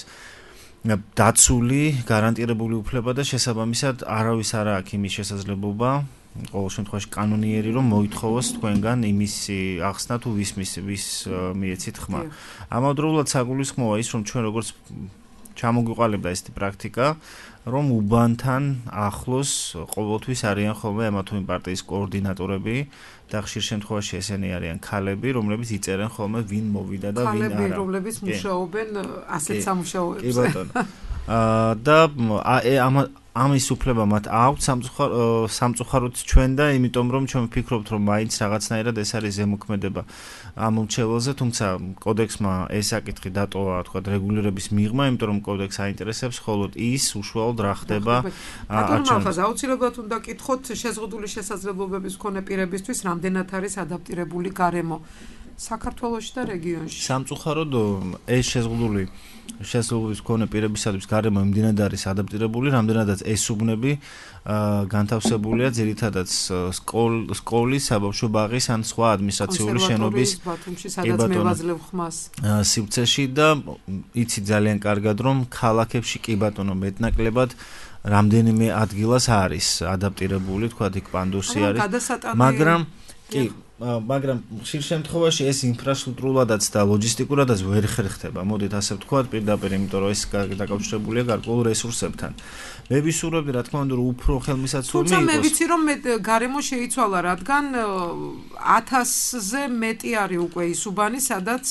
დაცული, გარანტირებული უფლება და შესაბამისად არავის არ აქვს იმის შესაძლებლობა ყოველ შემთხვევაში კანონიერი რომ მოითხოვოს თქვენგან იმის ახსნა თუ ვის მიეცით ხმა. ამავდროულად საგულისხმოა ის რომ ჩვენ როგორც ჩამოგვიყალიბდა ესეთი პრაქტიკა რომ უბანთან ახლოს ყოველთვის არიან ხოლმე ამა თუ იმ პარტიის კოორდინატორები და ხშირ შემთხვევაში ესენი არიან ქალები რომლებიც იწერენ ხოლმე ვინ მოვიდა და ვინ არა. ქალები რომლებიც მუშაობენ ასეთ სამუშაოებზე. კი ბატონო. და ამის უფლება მათ აქვს სამწუხაროდ ჩვენ და იმიტომ რომ ჩვენ ვფიქრობთ რომ მაინც რაღაცნაირად ეს არის ზემოქმედება ამ მრჩეველზე, თუმცა კოდექსმა ეს საკითხი დატოვა თქვა რეგულირების მიღმა, იმიტომ რომ კოდექს აინტერესებს მხოლოდ ის უშუალოდ რა ხდება არჩევნებში. აუცილებლად უნდა კითხოთ შეზღუდული შესაძლებლობების მქონე პირებისთვის რამდენად არის ადაპტირებული გარემო საქართველოში და რეგიონში. სამწუხაროდ ეს შეზღუდული შესაძლებლობის მქონე პირებისათვის გარემო იმდენად არის ადაპტირებული, რამდენადაც ეს უბნები განთავსებულია ძირითადად სკოლის, საბავშვო ბაღის ან სხვა ადმინისტრაციული შენობის სივრცეში და იცი ძალიან კარგად რომ ქალაქებში კი ბატონო მეტნაკლებად რამდენიმე ადგილას არის ადაპტირებული, თქვა იქ პანდუსი არის, მაგრამ ხშირ შემთხვევაში ეს ინფრასტრუქტურულადაც და ლოჯისტიკურადაც ვერ ხერხდება. მოდით ასე ვთქვათ, პირდაპირ, იმიტომ რომ ეს დაკავშირებულია გარკვეულ რესურსებთან. მე ვისურვებდი, რა თქმა უნდა, რომ უფრო ხელმისაწვდომი იყოს. თუმცა მე ვიცი, რომ გარემო შეიცვალა, რადგან 1000-ზე მეტი არის უკვე ის უბანი, სადაც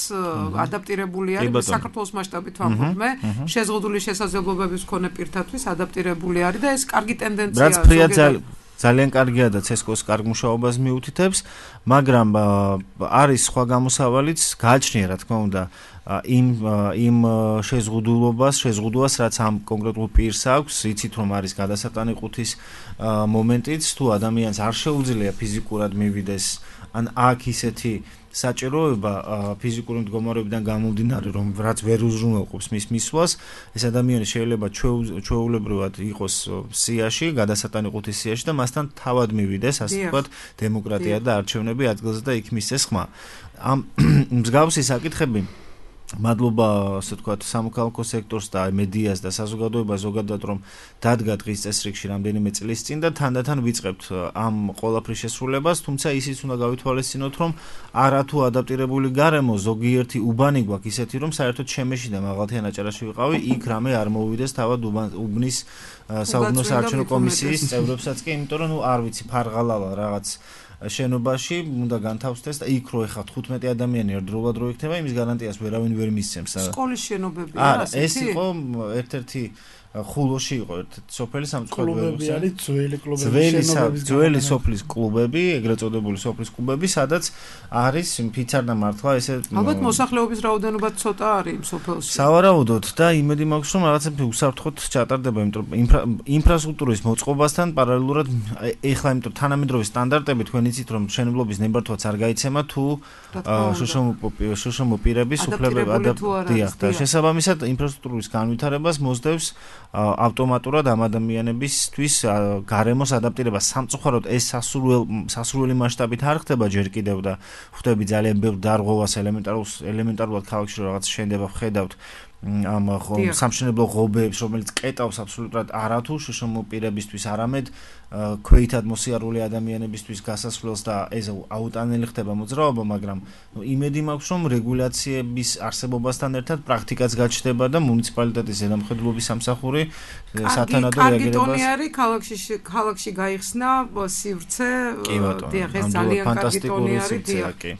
ადაპტირებული არის საქართველოს მასშტაბით ვამბობ მე, შეზღუდული შესაძლებლობების მქონე პირთათვის ადაპტირებული არის და ეს კარგი ტენდენციაა. ძალიან კარგია და ცესკოს კარგ მუშაობას მიუთითებს, მაგრამ არის სხვა გამოსავალიც, გააჩნია რა თქმა უნდა იმ შეზღუდულობას, რაც ამ კონკრეტულ პირს აქვს, იცით რომ არის გადასატანიყუთვის მომენტიც, თუ ადამიანს არ შეუძლია ფიზიკურად მივიდეს, ან აქ ისეთი საჭიროება ფიზიკური მდგომარეობიდან გამომდინარე, რომ რაც ვერ უზრუნველყოფს მის მისვლას, ეს ადამიანი შეიძლება ჩვეულებრივად იყოს სიაში, გადასატანიყუთვის სიაში და მასთან თავად მივიდეს, ასე ვთქვათ, დემოკრატია და არჩევნები ადგილზე და იქ მისცეს ხმა. ამ მსგავსი საკითხები მადლობა, ასე ვთქვათ, სამოქალაქო სექტორს და მედიას და საზოგადოებას ზოგადად რომ დადგა დღის წესრიგში რამდენიმე წლის წინ და თანდათან ვიწყებთ ამ ყველაფრის შესრულებას, თუმცა ისიც უნდა გავითვალისწინოთ, რომ არათუ ადაპტირებული გარემო ზოგიერთი უბანი გვაქვს ისეთი, რომ საერთოდ შემეში და მაღალთიან აჭარაში ვიყავი, იქ რამე არ მოვიდეს თავად უბნის საუბნო საარჩევნო კომისიის წევრებსაც კი, იმიტომ რომ არ ვიცი ფარღალალა რაღაც შენობაში უნდა განთავსდეს და იქ რო ეხავთ 15 ადამიანი ერთდროულად რო იქნება, იმის გარანტიას ვერავინ ვერ მისცემს. სკოლის შენობებია ასეთი? ეს იყო ერთ-ერთი ხულოში იყო ერთ-ერთი სოფელი სამწუხაროდ კლუბები არის ძველი სოფლის კლუბები, ეგრეთ წოდებული სოფლის კლუბები, სადაც არის ფიცარდა მართლა ესე ალბათ მოსახლეობის რაოდენობა ცოტა არის იმ სოფელში. სავარაუდოდ და იმედი მაქვს რომ რაღაცები უსაფრთხოდ ჩატარდება, იმიტომ რომ ინფრასტრუქტურის მოწყობასთან პარალელურად ეხლა იმიტომ თანამედროვე სტანდარტები თქვენ იცით რომ მშენებლობის ნებართვაც არ გაიცემა თუ შუშომო პირების უფლებები ადაპტირებულია და შესაბამისად ინფრასტრუქტურის განვითარებას მოსდევს ავტომატურად ამ ადამიანებისთვის გარემოს ადაპტირება. სამწუხაროდ ეს სასურველი მასშტაბით არ ხდება ჯერ კიდევ და ხვდები ძალიან ბევრ დარღვევას ელემენტარულად ქალაქში რაღაც შენდება, ხედავთ ამ სამშენებლო ღობეებს, რომელიც კეტავს აბსოლუტურად არათუ შშმ პირებისთვის, არამედ ქვეითად მოსიარული ადამიანებისთვის გასასვლელს და ეს აუტანელი ხდება მოძრაობა, მაგრამ იმედი მაქვს, რომ რეგულაციების არსებობასთან ერთად პრაქტიკაც გაჩნდება და მუნიციპალიტეტის ზედამხედველობის სამსახური სათანადო რეაგირებას ქალაქში გაიხსნა სივრცე, დიახ, ეს ძალიან კარგი ტონი არის,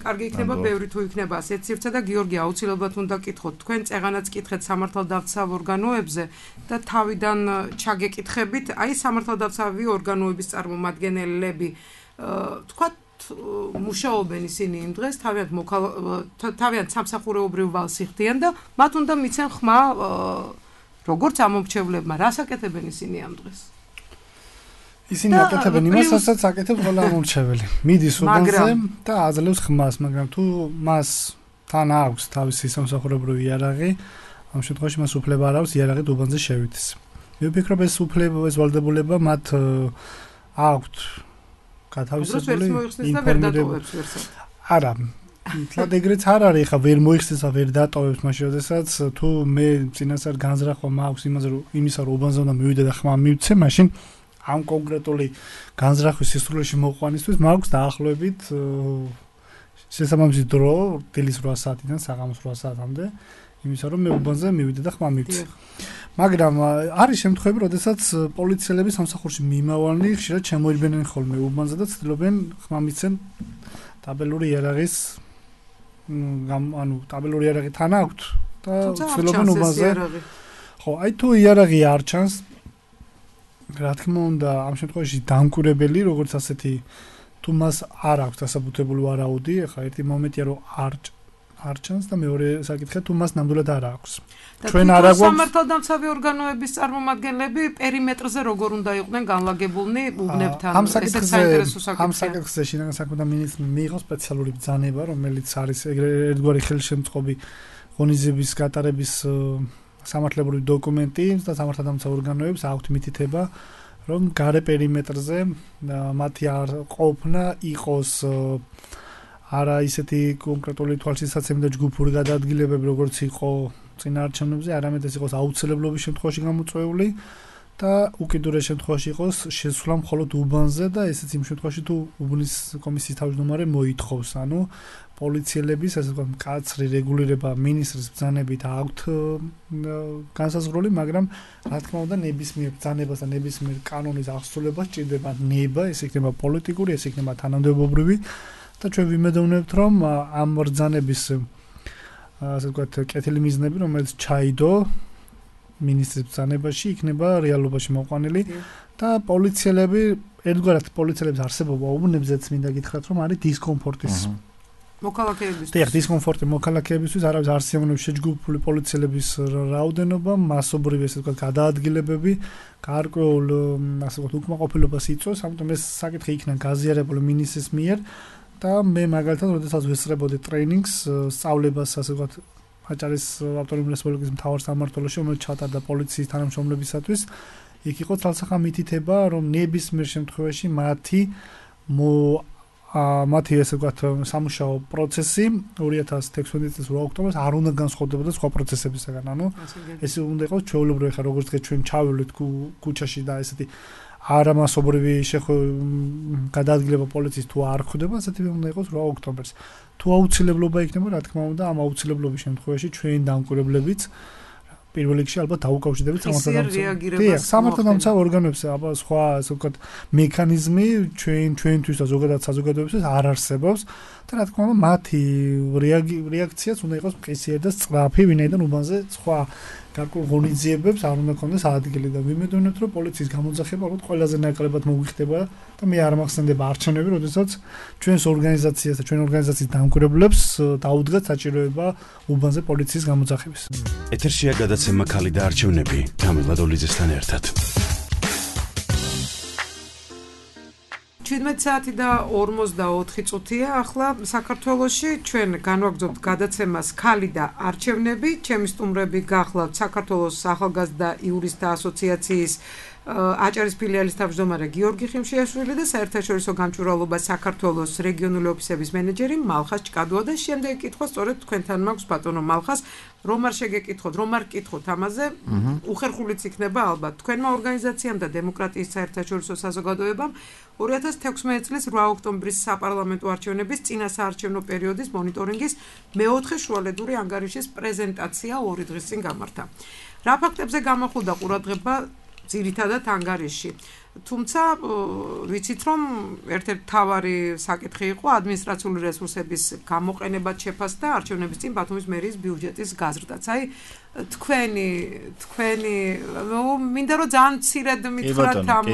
კარგი იქნება, ბევრი თუ იქნება ასეთ სივრცე და გიორგი აუცილებლად უნდა გკითხოთ, თქვენ წეღანაც კითხეთ სამართალდამცავ ორგანოებზე და თავიდან ჩაგეკითხებით, აი სამართალდამცავი ორგანოების წარმომადგენლები, თქვათ მუშაობენ ისინი იმ დღეს, თავიანთ სამსახურეობრივ ვალს იხდიან და მათ უნდა მიცენ ხმა როგორც ამომრჩევლებმა, რას აკეთებენ ისინი ამ დღეს? ისინი აკეთებენ იმას, რასაც აკეთებს ყველა ამომრჩეველი. მიდის უბანზე და აძლევს ხმას, მაგრამ თუ მას თან აქვს თავისი სამსახურებრივი იარაღი, ამ შემთხვევაში მას უფლება არ აქვს იარაღით უბანზე შევიდეს. მე ვფიქრობ ეს ვალდებულება მათ აქვთ გათავისებული ინფორმირება. არა, თლად ეგრეც არ არის, ხა ვერ მოიხსნეს და ვერ დატოვებს მაშინ, როდესაც თუ მე წინასწარ განზრახვა მაქვს იმისა, რომ უბანზე უნდა მივიდე და ხმა მივცე, მაშინ ამ კონკრეტული განზრახვის სისრულეში მოყვანისთვის მაქვს დაახლოებით შესაბამისი დრო დილის 8 საათიდან საღამოს 8 საათამდე, იმისა რომ მე უბანზე მივიდე და ხმა მივცე. მაგრამ არის შემთხვევები, როდესაც პოლიციელები სამსახურში მიმავალნი ხშირად შემოიდგნენ ხოლმე უბანზე და ცდილობენ ხმა მიცენ ტაბელური იარაღის ტაბელური იარაღი თან აქვთ და ცდილობენ უბანზე. ხო, აი თუ იარაღი არ ჩანს, რა თქმა უნდა, ამ შემთხვევაში დამკვირვებელი, როგორც ასეთი თუ მას არ აქვს დასაბუთებული ვარაუდი, ახლა ერთი მომენტია რომ არ ჩანს და მეორე საკითხია თუ მას ნამდვილად არ აქვს. ჩვენ არ აქვს სამართალდამცავი ორგანოების წარმომადგენლები პერიმეტრზე როგორ უნდა იყვნენ განლაგებულნი უბნებთან. ესეც საინტერესო საკითხია. ამ საკითხზე შინაგან საქმეთა მინისტრმა მიიღო სპეციალური ბრძანება, რომელიც არის ერთგვარი ხელშემწყობი ღონისძიების გატარების სამართლებრივი დოკუმენტი და სამართალდამცავ ორგანოებს აქვთ მითითება, რომ გარე პერიმეტრზე მათი არ ყოფნა იყოს არა ისეთი კონკრეტული თვალშისაცემი და ჯგუფური გადაადგილებები, როგორც იყო წინაარჩევნებზე, არამედ ეს იყოს აუცილებლობის შემთხვევაში გამოწვეული და უკიდურეს შემთხვევაში იყოს შესვლა მხოლოდ უბანზე და ესეც იმ შემთხვევაში თუ უბნის კომისიის თავმჯდომარე მოითხოვს, ანუ პოლიციელების ასე ვთქვათ მკაცრი რეგულირება მინისტრის ბრძანებით აქვთ განსაზღვრული, მაგრამ რა თქმა უნდა ნებისმიერ ბრძანებას და ნებისმიერ კანონის აღსრულებას ჭირდება ნება, ეს იქნება პოლიტიკური, ეს იქნება თანამდებობრივი და ჩვენ ვიმედოვნებთ, რომ ამ ბრძანების ასე ვთქვათ კეთილი მიზნები, რომელიც ჩაიდო მინისტრის ბრძანებაში, იქნება რეალობაში მოყვანილი და პოლიციელები, ერთგვარად პოლიციელების არსებობა უბნებზეც მინდა გითხრათ, რომ არის დისკომფორტის მოქალაქეებისთვის. დიახ, დისკომფორტი მოქალაქეებისთვის, არავის არ სიამოვნებს შეჯგუფებული პოლიციელების რაოდენობა, მასობრივი ესე ვთქვათ გადაადგილებები, გარკვეულ ასე ვთქვათ უკმაყოფილებას იწვევს, ამიტომ ეს საკითხი იქნა გაზიარებული მინისტრის მიერ და მე მაგალითად, როდესაც ვესწრებოდი ტრეინინგს, სწავლებას ასე ვთქვათ აჭარის ავტონომიური რესპუბლიკის მთავარ სამმართველოში, რომელიც ჩატარდა პოლიციის თანამშრომლებისათვის, იქ იყო თვალსახა მითითება, რომ ნებისმიერ შემთხვევაში მათი ესე ვთქვათ სამუშაო პროცესი 2016 წლის 8 ოქტომბერს არ უნდა განსხვავდებოდა სხვა პროცესებისგან. ანუ ეს უნდა იყოს ჩვეულებრივი, ხა როგორც თქვენ ჩვენ ჩავივლით ქუჩაში და ესეთი არამასობრივი გადაადგილება პოლიციის თუ არ ხდება, ასეთი უნდა იყოს 8 ოქტომბერს. თუ აუცილებლობა იქნება, რა თქმა უნდა, ამ აუცილებლობის შემთხვევაში ჩვენ დამკვირვებლებიც პირველ რიგში ალბათ დაუკავშირდებით სამართალდამცავ ორგანოებს, აბა სხვა ასე ვთქვათ მექანიზმი ჩვენთვის და ზოგადად საზოგადოებისთვის არ არსებობს და რა თქმა უნდა მათი რეაქციაც უნდა იყოს მყისიერი და სწრაფი, ვინაიდან უბანზე სხვა გარკვეულ ღონისძიებებს არ უნდა კონდეს ადგილი და ვიმედოვნებთ, რომ პოლიციის გამოძახება ალბათ ყველაზე ნაკლებად მოგვიხდება და მე არ მახსენდება არჩევნები, როდესაც ჩვენს ორგანიზაციას და ჩვენ ორგანიზაციის დამკვირვებლებს დაუდგათ საჭიროება უბანზე პოლიციის გამოძახების. ეთერშია გადაცემა ქალი და არჩევნები თამილ ლადოლიძესთან ერთად. 17 საათი და 44 წუთია ახლა საქართველოში ჩვენ განვაგრძობთ გადაცემას ქალი და არჩევნები. ჩემი სტუმრები გახლავთ საქართველოს ახალგაზრდა იურისტთა ასოციაციის აჭარის ფილიალის თავმჯდომარე გიორგი ხიმშიაშვილი და საერთაშორისო გამჭვირვალობა საქართველოს რეგიონული ოფისების მენეჯერი მალხას ჭკადოა და შემდეგი კითხვა სწორედ თქვენთან მაქვს ბატონო მალხას რომ არ შეგეკითხოთ რომ არ კითხოთ ამაზე უხერხულიც იქნება ალბათ თქვენმა ორგანიზაციამ და დემოკრატიის საერთაშორისო საზოგადოებამ 2016 წლის 8 ოქტომბრის საპარლამენტო არჩევნების წინასაარჩევნო პერიოდის მონიტორინგის მეოთხე შუალედური ანგარიშის პრეზენტაცია 2 დღის წინ გამართა რა ფაქტებზე გამახვილდა ყურადღება ძირითადად ანგარიში თუმცა ვიცით რომ ერთ-ერთი თავარი საკითხი იყო ადმინისტრაციული რესურსების გამოყენებად შეფასდა არჩევნების წინ ბათუმის მერიის ბიუჯეტის გაზრდაც აი თქვენი მინდა რომ ძალიან მცირედ მითხრათ ამ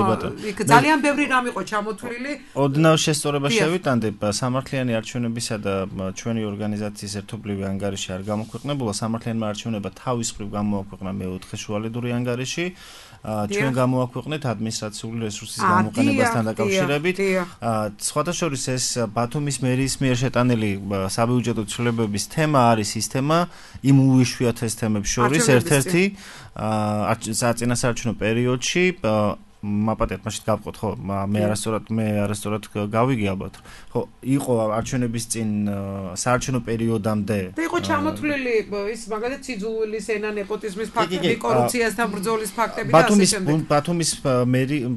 იქ ძალიან ბევრი რამ იყო ჩამოთვლილი ოდნავ შესწორება შევიტანდი სამართლიანი არჩევნებისა და ჩვენი ორგანიზაციის ერთობლივი ანგარიში არ გამოქვეყნებულა სამართლიანმა არჩევნებმა თავის მხრივ გამოაქვეყნა მეოთხე შუალედური ანგარიში ჩვენ გამოაქვეყნეთ ადმინისტრაციული რესურსის გამოყენებასთან დაკავშირებით სხვათა შორის ეს ბათუმის მერიის მიერ შეტანილი საბიუჯეტო ცვლილებების თემა არის ის თემა იმ უიშვიათეს თემებს შორის ერთ-ერთი საწინასაარჩევნო პერიოდში მაპატეთ მაშინ გავყოთ ხო მე არასწორად გავიგე ალბათ ხო იყო არჩევნების წინ საარჩევნო პერიოდამდე და იყო ჩამოთვლილი ის მაგალითად სიძულვილის ენა ნეპოტიზმის ფაქტები კორუფციასთან ბრძოლის ფაქტები და ასე შემდეგ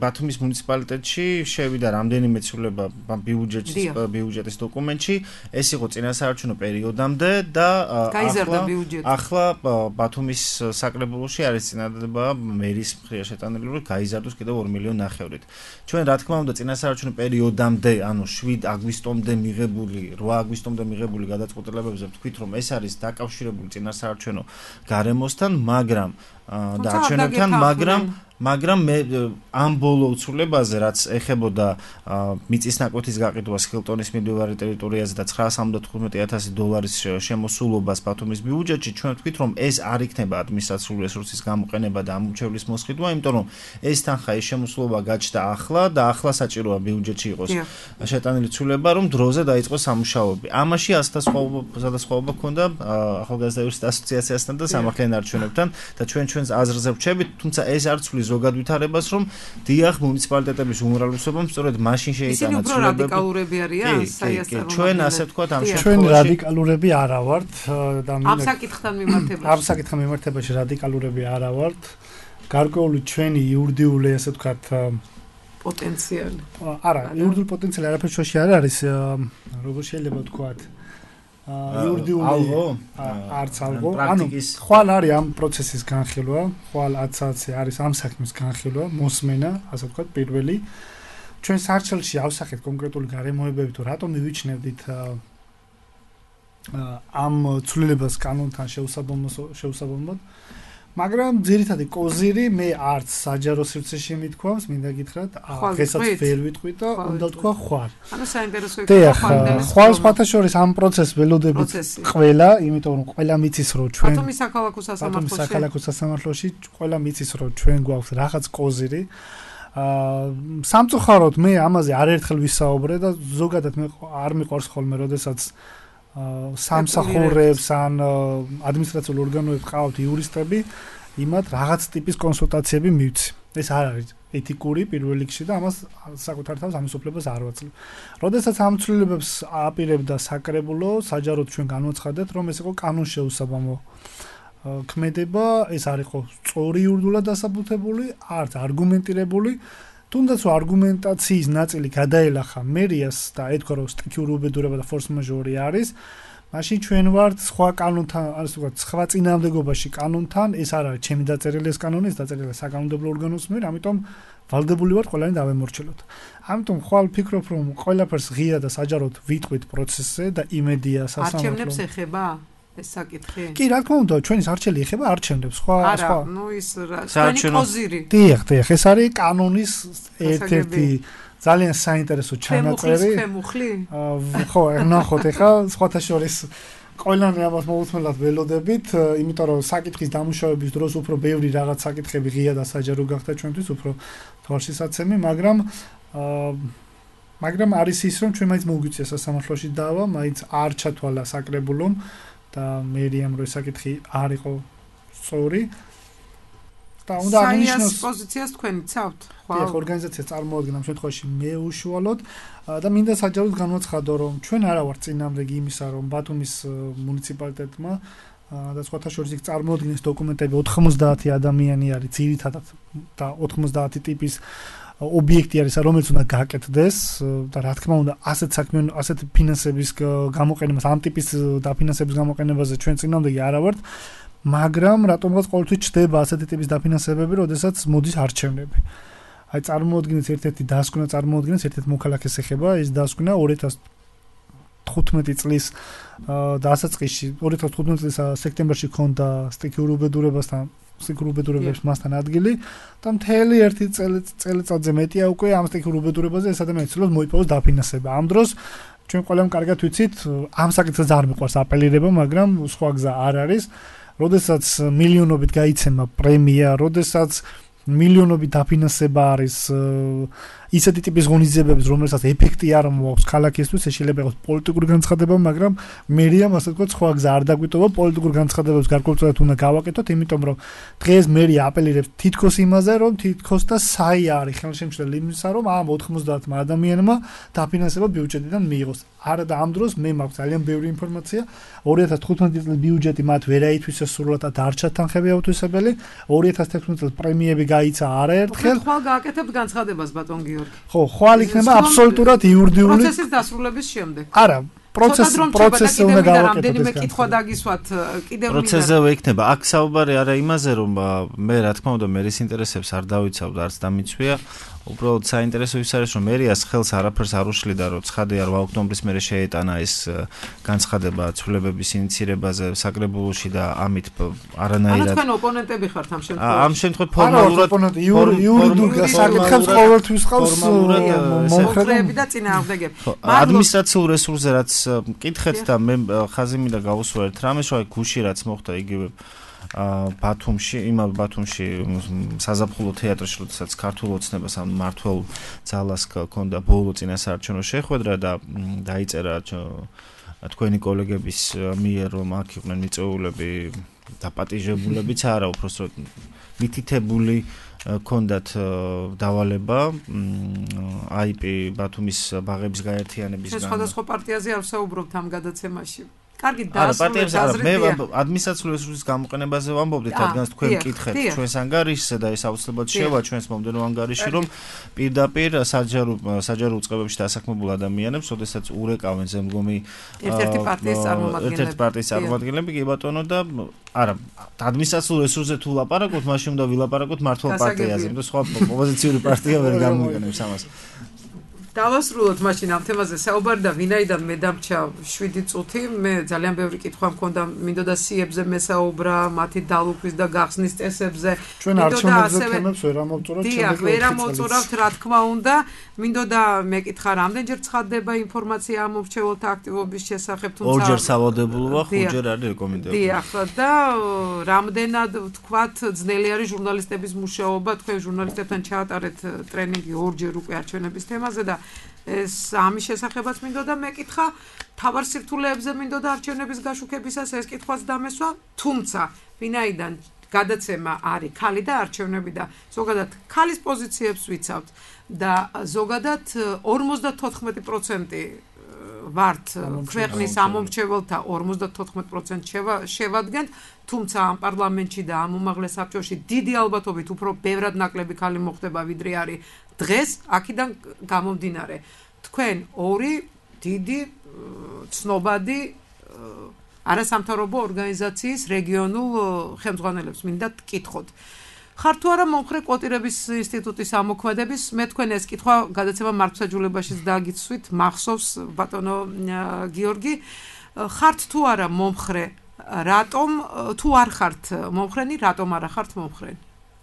ბათუმის მუნიციპალიტეტში შევიდა რამდენიმე ცვლილება ბიუჯეტის დოკუმენტში ეს იყო წინასაარჩევნო პერიოდამდე და ახლა ბათუმის საკრებულოში არის წინადადება მერის მხრივ შეტანილი რომ გაიზარდოს კიდევ 2 მილიონი ნახევრით. ჩვენ რა თქმა უნდა წინასაარჩევნო პერიოდამდე, ანუ 7 აგვისტომდე მიღებული, 8 აგვისტომდე მიღებული გადაწყვეტილებებზე ვთქვით, რომ ეს არის დაკავშირებული წინასაარჩევნო გარემოსთან, მაგრამ და არჩევნებთან, მაგრამ მე ამ ბოლო უცვლებაზე რაც ეხებოდა მიწის ნაკვეთის გაყიდვას ჰილტონის მიმდებარე ტერიტორიაზე და $975,000 შემოსულობას ბათუმის ბიუჯეტში, ჩვენ ვთქვით, რომ ეს არ იქნება ადმინისტრაციული რესურსის გამოყენება და ამომრჩევლის მოსყიდვა, იმიტომ რომ ეს თანხა ეს შემოსულობა გაჩნდა ახლა და ახლა საჭიროა ბიუჯეტში იყოს შეტანილი ცვლილება, რომ დროზე დაიწყოს სამუშაოები. ამაში ასდასხვაობა ჰქონდა ახალგაზრდა იურისტთა ასოციაციასთან და სამართლიან არჩევნებთან და ჩვენს აზრზე ვჩებით, თუმცა ეს არ ცვლის ზოგად ვითარებას, რომ დიახ მუნიციპალიტეტების უმრავლესობამ სწორედ მაშინ შეიტანა ცვლილებები. ისინი უფრო რადიკალურები არიან, საიასწავლო. ჩვენ ასე ვთქვათ ამ შემთხვევაში. ჩვენ რადიკალურები არა ვართ და ამ საკითხთან მიმართებაში რადიკალურები არა ვართ. გარკვეული ჩვენი იურიდიული ასე ვთქვათ პოტენციალი. არა, იურიდიული პოტენციალი არაფერ შუაში არ არის, როგორ შეიძლება ვთქვათ იურიდიული არც ალღო, ანუ ხვალ არის ამ პროცესის განხილვა, ხვალ 10-ზე არის ამ საქმის განხილვა, მოსმენა, ასე ვთქვათ, პირველი. ჩვენ სარჩელში ავსახეთ კონკრეტული გარემოებები თუ რატომ მივიჩნევდით ამ ცვლილებას კანონთან შეუსაბამოდ, მაგრამ ძირითადი კოზირი მე არც საჯარო სივრცეში მithქვავს, მინდა გითხრათ, დღესაც ვერ ვიტყვით და უნდა თქვა ხვალ. ანუ საინტერესო იქნება ხვალ სხვათა შორის ამ პროცესს ველოდებით ყველა, იმიტომ რომ ყველა მიცის რომ ჩვენ ბათუმის საქალაქო სასამართლოში ყველა მიცის რომ ჩვენ გვაქვს რაღაც კოზირი. სამწუხაროდ მე ამაზე არაერთხელ ვისაუბრე და ზოგადად მე არ მიყვარს ხოლმე, როდესაც სამსახურებს ან ადმინისტრაციულ ორგანოებს ყავთ იურისტები, იმათ რაღაც ტიპის კონსულტაციები მივცი. ეს არ არის ეთიკური პირველ რიგში და ამას საკუთარ თავს ამის უფლებას არ ვაძლევ. როდესაც ამ ცვლილებებს აპირებდა საკრებულო, საჯაროდ ჩვენ განვაცხადეთ, რომ ეს იყო კანონშეუსაბამო ქმედება, ეს არ იყო სწორი იურიდულად დასაბუთებული, არც არგუმენტირებული. თუნდაც არგუმენტაციის ნაწილი გადაელახა მერიას და ეთქვა რომ სტიქიური უბედურება და ფორს მაჟორი არის, მაშინ ჩვენ ვართ სხვა კანონთან, ასე ვთქვათ, სხვა წინააღმდეგობაში კანონთან, ეს არ არის ჩემი დაწერილი ეს კანონი, ეს დაწერილია საკანონმდებლო ორგანოს მიერ, ამიტომ ვალდებული ვარ ყველანი დავემორჩილოთ. ამიტომ ხვალ ვფიქრობ რომ ყველაფერს ღია და საჯაროდ ვიტყვით პროცესზე და იმედია სასამართლო. არჩევნებს ეხება ეს საკითხი? კი, რა თქმა უნდა, ჩვენი არჩელი ეხება არჩევნებს, სხვა. ნუ ის ჩვენი კოზირი. დიახ, ეს არის კანონის ერთ-ერთი ძალიან საინტერესო ჩანაწერი. ხო, ნახოთ ახლა სხვათა შორის ყველანი ამას მოუთმენლად ველოდებით, იმიტომ რომ საკითხის დამუშავების დროს უფრო ბევრი რაღაც საკითხები ღია და საჯარო გახდა ჩვენთვის, უფრო თვალშისაცემი, მაგრამ არის ის რომ ჩვენ მაინც მოგვიწია სასამართლოში დავა, მაინც არ ჩათვალა საკრებულომ და მერიამ რო საკითხი არ იყო სწორი და უნდა აღინიშნოს პოზიციას თქვენი ცავთ. ხო, ორგანიზაცია წარმოადგენს ამ შემთხვევაში მე უშუალოდ და მინდა საჯაროდ განვაცხადო, რომ ჩვენ არა ვართ წინამძღოლი იმისა, რომ ბათუმის მუნიციპალიტეტმა და სხვათა შორის იქ წარმოადგენს დოკუმენტები 90 ადამიანი არის ძირითადად და 90 ტიპის ობიექტი არის, რომელიც უნდა გააკეთდეს და რა თქმა უნდა ასეთ საქმე, ასეთ ფინანსების გამოყენებას, ამ ტიპის დაფინანსების გამოყენებაზე ჩვენ წინამძღოლი არა ვართ, მაგრამ რატომღაც ყოველთვის ჩდება ასეთი ტიპის დაფინანსებები, როდესაც მოდის არჩევნები. აი წარმოადგენს ერთ-ერთი დასკვნა, წარმოადგენს ერთ-ერთი მოქალაქეს ეხება, ეს დასკვნა 2015 წლის დასაწყისში, 2015 წლის სექტემბერში ქონდა სტიქიურ უბედურებებს მასთან ადგილი და მთელი ერთი წელიწადზე მეტია უკვე ამ სტიქიურ უბედურებაზე ეს ადამიანი ცდილობს მოიპოვოს დაფინანსება. ამ დროს ჩვენ ყველამ კარგად ვიცით, ამ საკითხზე არ მიყვარს აპელირება, მაგრამ სხვა გზა არ არის. როდესაც მილიონობით გაიცემა პრემია, როდესაც მილიონობით დაფინანსება არის ისეთი ტიპის ღონისძიებების, რომელსაც ეფექტი არ მოაქვს ქალაქისთვის, ეს შეიძლება იყოს პოლიტიკური განცხადება, მაგრამ მერიამ ასე ვთქვათ, სხვა გზა არ დაგვიტოვა, პოლიტიკურ განცხადებებს გარკვეულწილად უნდა გავაკეთოთ, იმიტომ რომ დღეს მერია აპელირებს თითქოს იმაზე, რომ თითქოს და საი არის ხელშემშლელი იმისა, რომ ამ 90 ადამიანმა დაფინანსება ბიუჯეტიდან მიიღოს. არა და ამ დროს მე მაქვს ძალიან ბევრი ინფორმაცია. 2015 წლის ბიუჯეტი მათ ვერ აითვისეს სრულად და დარჩა თანხები აუთვისებელი. 2016 წელს პრემიები გაიცა არაერთხელ. ხვალ გააკეთებთ განცხადებას ბატონ გიორგი. ხო, ხვალ იქნება აბსოლუტურად იურიდიული პროცესის დასრულების შემდეგ. არა, პროცესი უნდა გავაკეთოთ. რამდენიმე კითხვა დაგისვათ კიდევ პროცესზე ვეიქნება. აქ საუბარი არა იმაზე, რომ მე რა თქმა უნდა მერის ინტერესებს არ დავიცავ და არც დამიცვია. უბრალოდ საინტერესო ის არის, რომ მერიას ხელს არაფერს არ უშლიდა, რომ ცხადია 8 ოქტომბრის მერე შეეტანა ეს განცხადება ცვლილებების ინიცირებაზე საკრებულოში და ამით არანაირად. ანუ თქვენ ოპონენტები ხართ ამ შემთხვევაში. ამ შემთხვევაში ფორმალურად იურიდიულ საკითხებს ყოველთვის ყავს მომხრეები და წინააღმდეგები. ადმინისტრაციულ რესურსზე რაც მკითხეთ და მე ხაზი მინდა გავუსვა ერთ რამეს, რომ გუში რაც მოხდა იგივე ბათუმში, იმავე ბათუმში საზაფხულო თეატრში, როდესაც ქართულ ოცნებას ამ მართლ ძალას ჰქონდა ბოლო წინასაარჩევნო შეხვედრა და დაიწერა თქვენი კოლეგების მიერ, რომ აქ იყვნენ მიწვეულები დაპატიჟებულებიც არა, უბრალოდ მითითებული ქონდათ დავალება IP ბათუმის ბაღების გაერთიანებისგან. სხვადასხვა პარტიაზე არ ვსაუბრობთ ამ გადაცემაში. კარგი დასრულებით მე ადმინისტრაციული რესურსის გამოყენებაზე ვამბობდით, რადგან თქვენ მკითხეთ ჩვენს ანგარიშზე და ეს აუცილებლად შევა ჩვენს მომდევნო ანგარიში, რომ პირდაპირ საჯარო უწყებებში დასაქმებულ ადამიანებს, ოდესაც ურეკავენ ზემდგომი ერთ-ერთი პარტიის წარმომადგენლები, კი ბატონო და არა, ადმინისტრაციულ რესურსზე თუ ლაპარაკობთ, მაშინ უნდა ვილაპარაკოთ მართლ პარტიაზე, იმიტომ სხვა ოპოზიციური პარტია ვერ გამოიყენებს ამას. დავასრულოთ მაშინ ამ თემაზე საუბარი და ვინაიდან მე დამრჩა 7 წუთი, მე ძალიან ბევრი კითხვა მქონდა, მინდოდა სიებზე მესაუბრა, მათი დალუქვის და გახსნის წესებზე. ჩვენ არჩევნებზე თემებს ვერ ამოვწურავთ, ვერ ამოვწურავთ, რა თქმა უნდა, მინდოდა მეკითხა, რამდენჯერ ცხადდება ინფორმაცია ამ მრჩეველთა აქტივობის შესახებ, თუმცა ორჯერ სავალდებულოა, 5ჯერ არის რეკომენდებული. დიახ, და რამდენად ვთქვათ, ძნელი არის ჟურნალისტების მუშაობა, თქვენ ჟურნალისტებთან ჩაატარეთ ტრენინგი ორჯერ უკვე არჩევნების თემაზე და ეს ამის შესახებაც მინდოდა მეკითხა, თავარ სირთულეებზე მინდოდა არჩევნების გაშუქებისას ეს კითხვაც დამესვა, თუმცა ვინაიდან გადაცემა არის ქალი და არჩევნები და ზოგადად ქალის პოზიციებს ვიცავთ და ზოგადად 54% ვართ ქვეყნის ამომრჩეველთა 54% შევადგენთ, თუმცა ამ პარლამენტში და ამ უმაღლეს საბჭოში დიდი ალბათობით უფრო ბევრად ნაკლები ქალი მოხდება, ვიდრე არის დღეს, აქედან გამომდინარე. თქვენ ორი დიდი ცნობადი არასამთავრობო ორგანიზაციის რეგიონულ ხელმძღვანელებს მინდა გკითხოთ. ხარ თუ არა მომხრე კვოტირების ინსტიტუტის ამოქმედების, მე თქვენ ეს კითხვა გადაცემა მართლმსაჯულებაშიც დაგიცვით, მახსოვს ბატონო გიორგი, ხართ თუ არა მომხრე, რატომ თუ არ ხართ მომხრენი, რატომ არა ხართ მომხრენი?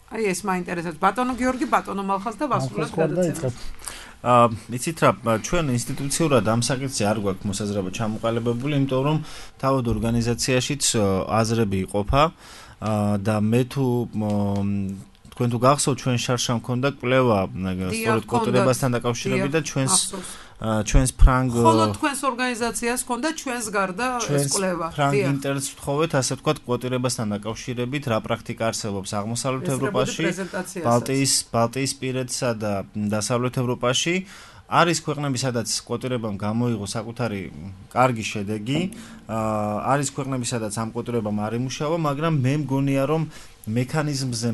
აი ეს მაინტერესებს ბატონო გიორგი, ბატონო მალხას და ვასრულებთ გადაცემას. იცით რა, ჩვენ ინსტიტუციურად ამ საკითხზე არ გვაქვს მოსაზრება ჩამოყალიბებული, იმიტომ რომ თავად ორგანიზაციაშიც აზრები იყოფა და მე თუ თქვენ თუ გახსოვთ, ჩვენ შარშან მქონდა კვლევა სწორედ კვოტირებასთან დაკავშირებით და ჩვენს ჩვენს ფრანგ ხოლო თქვენს ორგანიზაციას ჰქონდა ჩვენს გარდა ეს კვლევა. ფრანგ ინტერესს ვთხოვეთ, ასე ვთქვათ, კვოტირებასთან დაკავშირებით, რა პრაქტიკა არსებობს აღმოსავლეთ ევროპაში, ბალტიისპირეთსა და დასავლეთ ევროპაში. არის ქვეყნები, სადაც კვოტირებამ გამოიღო საკუთარი კარგი შედეგი, არის ქვეყნები, სადაც ამ კვოტირებამ არ იმუშავა, მაგრამ მე მგონია, რომ მექანიზმზე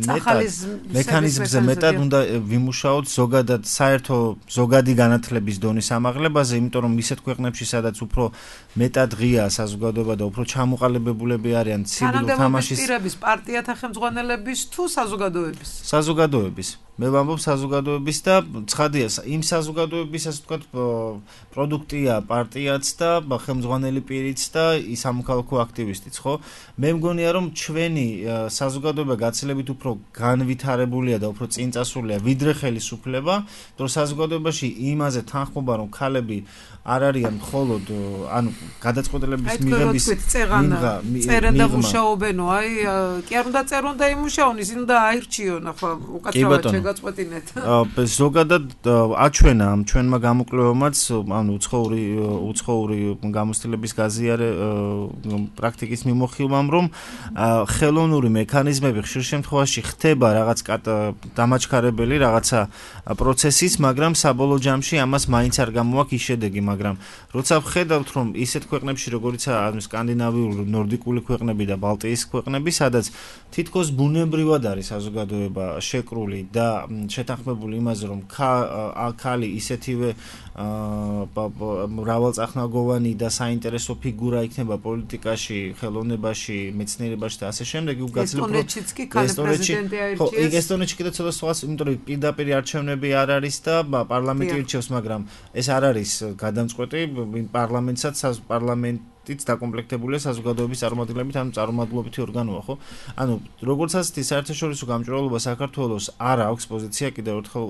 მეტად უნდა ვიმუშაოთ ზოგადად საერთო ზოგადი განათლების დონის ამაღლებაზე, იმიტომ რომ ისეთ ქვეყნებში, სადაც უფრო მეტად ღია საზოგადოება და უფრო ჩამოყალიბებულები არიან ცივი თამაშის პირების პარტიათა ხელმძღვანელების თუ საზოგადოების? საზოგადოების. მე ვამბობ საზოგადოების და ცხადია, იმ საზოგადოების, ასე ვთქვათ, პროდუქტია პარტიაც და ხელმძღვანელი პირიც და სამოქალაქო აქტივისტიც, ხო? მე მგონია, რომ ჩვენი საზოგადოება გაცილებით უფრო განვითარებულია და უფრო წინწასულია, ვიდრე ხელისუფლება, რომ საზოგადოებაში იმაზე თანხმობა, რომ ქალები არ არიან მხოლოდ, ანუ გადაწყვეტილების მიღების წერენ და მუშაობენო, აი, კი არ უნდა წერონ და იმუშაონ, ისინი უნდა აირჩიონ, ახლა უკაცრავად შეგაწყვეტინეთ. ზოგადად აჩვენა ამ ჩვენმა გამოკვლევამაც, ანუ უცხოური გამოცდილების გაზიარე პრაქტიკის მიმოხილვამ, რომ ხელოვნური მექანიზმები ხშირ შემთხვევაში ხდება რაღაც დამაჩქარებელი რაღაცა პროცესის, მაგრამ საბოლოო ჯამში ამას მაინც არ გამოაქვს ის შედეგი, მაგრამ როცა ვხედავთ, რომ ისეთ ქვეყნებში, როგორიცაა სკანდინავიური, ნორდიკული ქვეყნები და ბალტიის ქვეყნები, სადაც თითქოს ბუნებრივად არის საზოგადოება შეკრული და შეთანხმებული იმაზე, რომ ქალი ისეთივე მრავალწახნაგოვანი და საინტერესო ფიგურა იქნება პოლიტიკაში, ხელოვნებაში, მეცნიერებაში და ასე შემდეგ, ესტონეთშიც კი ქალი პრეზიდენტი აირჩიეს. ესტონეთში კიდე ცოტა სხვას, იმიტომ რომ პირდაპირ არჩევნები არ არის და პარლამენტი ირჩევს, მაგრამ ეს არ არის გადამწყვეტი, პარლამენტსაც პარლამენტიც დაკომპლექტებულია საზოგადოების წარმომადგენლებით, ანუ წარმომადგენლობითი ორგანოა, ხო? ანუ როგორც ასეთი საერთაშორისო გამჭვირვალობა საქართველოს არ აქვს პოზიცია, კიდევ ერთხელ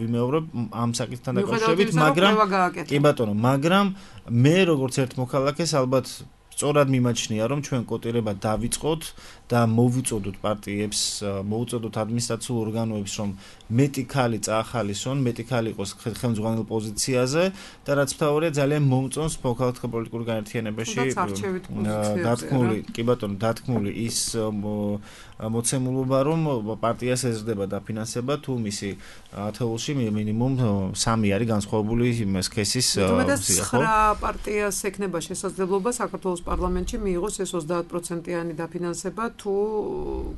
ვიმეორებ ამ საკითხთან დაკავშირებით, მაგრამ მე როგორც ერთ მოქალაქეს ალბათ სწორად მიმაჩნია, რომ ჩვენ კოტირება დავიწყოთ და მოვუწოდოთ პარტიებს, მოვუწოდოთ ადმინისტრაციულ ორგანოებს, რომ მეტი ქალი წაახალისონ, მეტი ქალი იყოს ხელმძღვანელ პოზიციაზე და რაც მთავარია, ძალიან მომწონს მოქალაქეთა პოლიტიკურ განერთიანებაში დათქმული ის მოცემულობა, რომ პარტიას ეზრდება დაფინანსება, თუ მისი ათეულში მინიმუმ 3 არის განსხვავებული სქესის ხო? 9 პარტიას ექნება შესაძლებლობა საქართველოს პარლამენტში მიიღოს ეს 30%-იანი დაფინანსება, თუ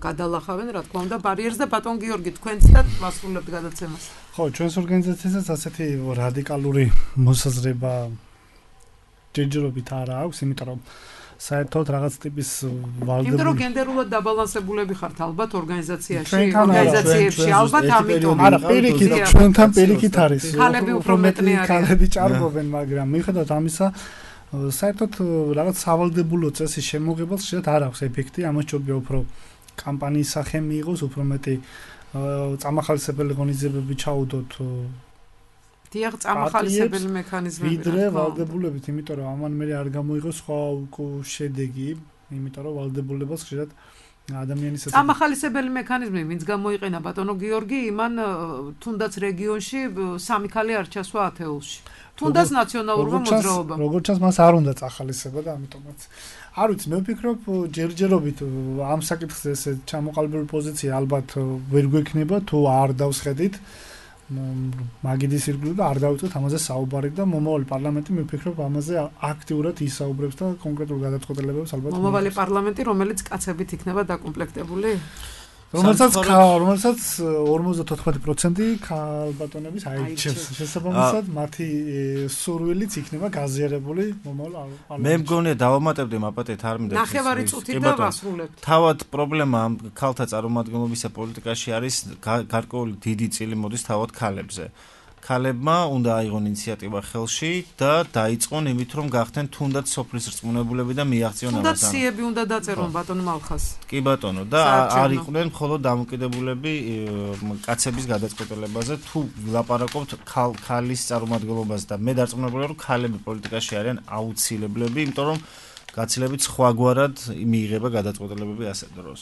გადალახავენ, რა თქმა უნდა, ბარიერს და ბატონ გიორგი, თქვენც და მასრულებთ გადაცემას. ხო, ჩვენს ორგანიზაციასაც ასეთი რადიკალური მოსაზრება ჯერჯერობით არ აქვს, იმიტომ რომ საერთოდ რაღაც ტიპის ვალდებული. იმიტომ რომ გენდერულად დაბალანსებულები ხართ ალბათ ორგანიზაციებში, ალბათ ამიტომ. არა, პირიქით, ჩვენთან პირიქით არის. ქალები უფრო მეტნი არიან. ქალები ჭარბობენ, მაგრამ მიუხედავად ამისა, საერთოდ რაღაც სავალდებულო წესის შემოღებას შეიძლება არ აქვს ეფექტი, ამას ჯობია უფრო კამპანიის სახე მიიღოს, უფრო მეტი წამახალისებელი ღონისძიებები ჩაუდოთ. დიახ, წამახალისებელი მექანიზმები. ვიდრე ვალდებულებით, იმიტომ რომ ამან მე არ გამოიღოს სხვა შედეგი, იმიტომ რომ ვალდებულებას ხშირად ადამიანის წამახალისებელი მექანიზმი, ვინც გამოიყენა ბატონო გიორგი, იმან თუნდაც რეგიონში 3 ქალი არ ჩასვა ათეულში. თუნდაც ნაციონალურმა მოძრაობამ. როგორც ჩანს, მას არ უნდა წახალისება და ამიტომაც. არ ვიცი, მე ვფიქრობ, ჯერჯერობით ამ საკითხზე ესე ჩამოყალიბებული პოზიცია ალბათ ვერ გვექნება, თუ არ დავსხედით მაგიდის ირგვლივ და არ დავიწყოთ ამაზე საუბარი და მომავალი პარლამენტი მე ვფიქრობ ამაზე აქტიურად ისაუბრებს და კონკრეტულ გადაწყვეტილებებს ალბათ მომავალი პარლამენტი, რომელიც კაცებით იქნება დაკომპლექტებული? რომელსაც 54% ქალბატონების აირჩევს. შესაბამისად, მათი სურვილიც იქნება გაზიარებული მომავალ პარლამენტში. მე მგონია დავამატებდი მაპატეთ არ მინდა. ნახევარი წუთი და ვასრულებთ. თავად პრობლემა ამ ქალთა წარმომადგენლობისა პოლიტიკაში არის გარკვეული დიდი წილი მოდის თავად ქალებზე. ქალებმა უნდა აიღონ ინიციატივა ხელში და დაიწყონ იმით, რომ გახდნენ თუნდაც სოფლის რწმუნებულები და მიაღწიონ ამას. თუნდაც სიები უნდა დაწერონ ბატონ მალხას. კი ბატონო, და არ იყვნენ მხოლოდ დამოკიდებულები კაცების გადაწყვეტილებაზე, თუ ვილაპარაკობთ ქალის წარმომადგენლობაზე და მე დარწმუნებული ვარ, რომ ქალები პოლიტიკაში არიან აუცილებლები, იმიტომ რომ გაცილებით სხვაგვარად მიიღება გადაწყვეტილებები ასე დროს.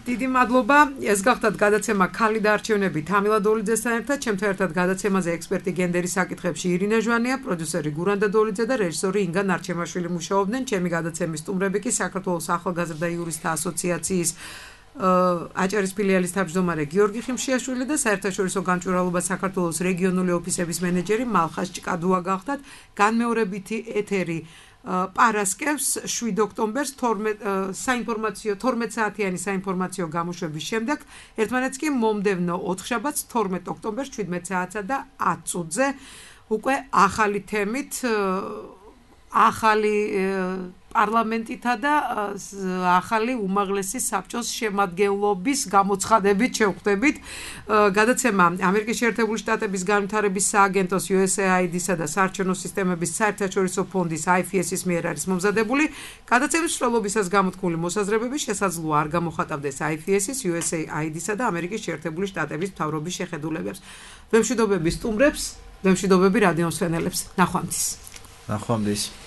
დიდი მადლობა. ეს გახდათ გადაცემა ქალი და არჩევნები თამილა დოლიძესთან ერთად. ჩემთან ერთად გადაცემაზე ექსპერტი გენდერის საკითხებში ირინე ჟვანია, პროდიუსერი გურანდა დოლიძე და რეჟისორი ინგა ნარჩემაშვილი მუშაობდნენ. ჩემი გადაცემის სტუმრები კი საქართველოს ახალგაზრდა იურისტთა ასოციაციის აჭარის ფილიალის თავმჯდომარე გიორგი ხიმშიაშვილი და საერთაშორისო გამჭვირვალობა საქართველოს რეგიონული ოფისების მენეჯერი მალხაზ ჭკადუა გახდათ. განმეორებითი ეთერი პარასკევს 7 ოქტომბერს 12 საათიანი საინფორმაციო გამოშვების შემდეგ, ერთმანეთს კი მომდევნო 4 შაბათს 12 ოქტომბერს 17 საათსა და 10 წუთზე უკვე ახალი თემით, ახალი პარლამენტითა და ახალი უმაღლესი საბჭოს შემადგენლობის გამოცხადებით შევხვდებით. გადაცემა ამერიკის შეერთებული შტატების განვითარების სააგენტოს USAID-სა და საარჩევნო სისტემების საერთაშორისო ფონდის IFS-ის მიერ არის მომზადებული. გადაცემის მსვლელობისას გამოთქმული მოსაზრებები შესაძლოა არ გამოხატავდეს IFS-ის, USAID-სა და ამერიკის შეერთებული შტატების მთავრობის შეხედულებებს. ვემშვიდობები სტუმრებს, ვემშვიდობები რადიომსვენელებს. ნახვამდის. ნახვამდის.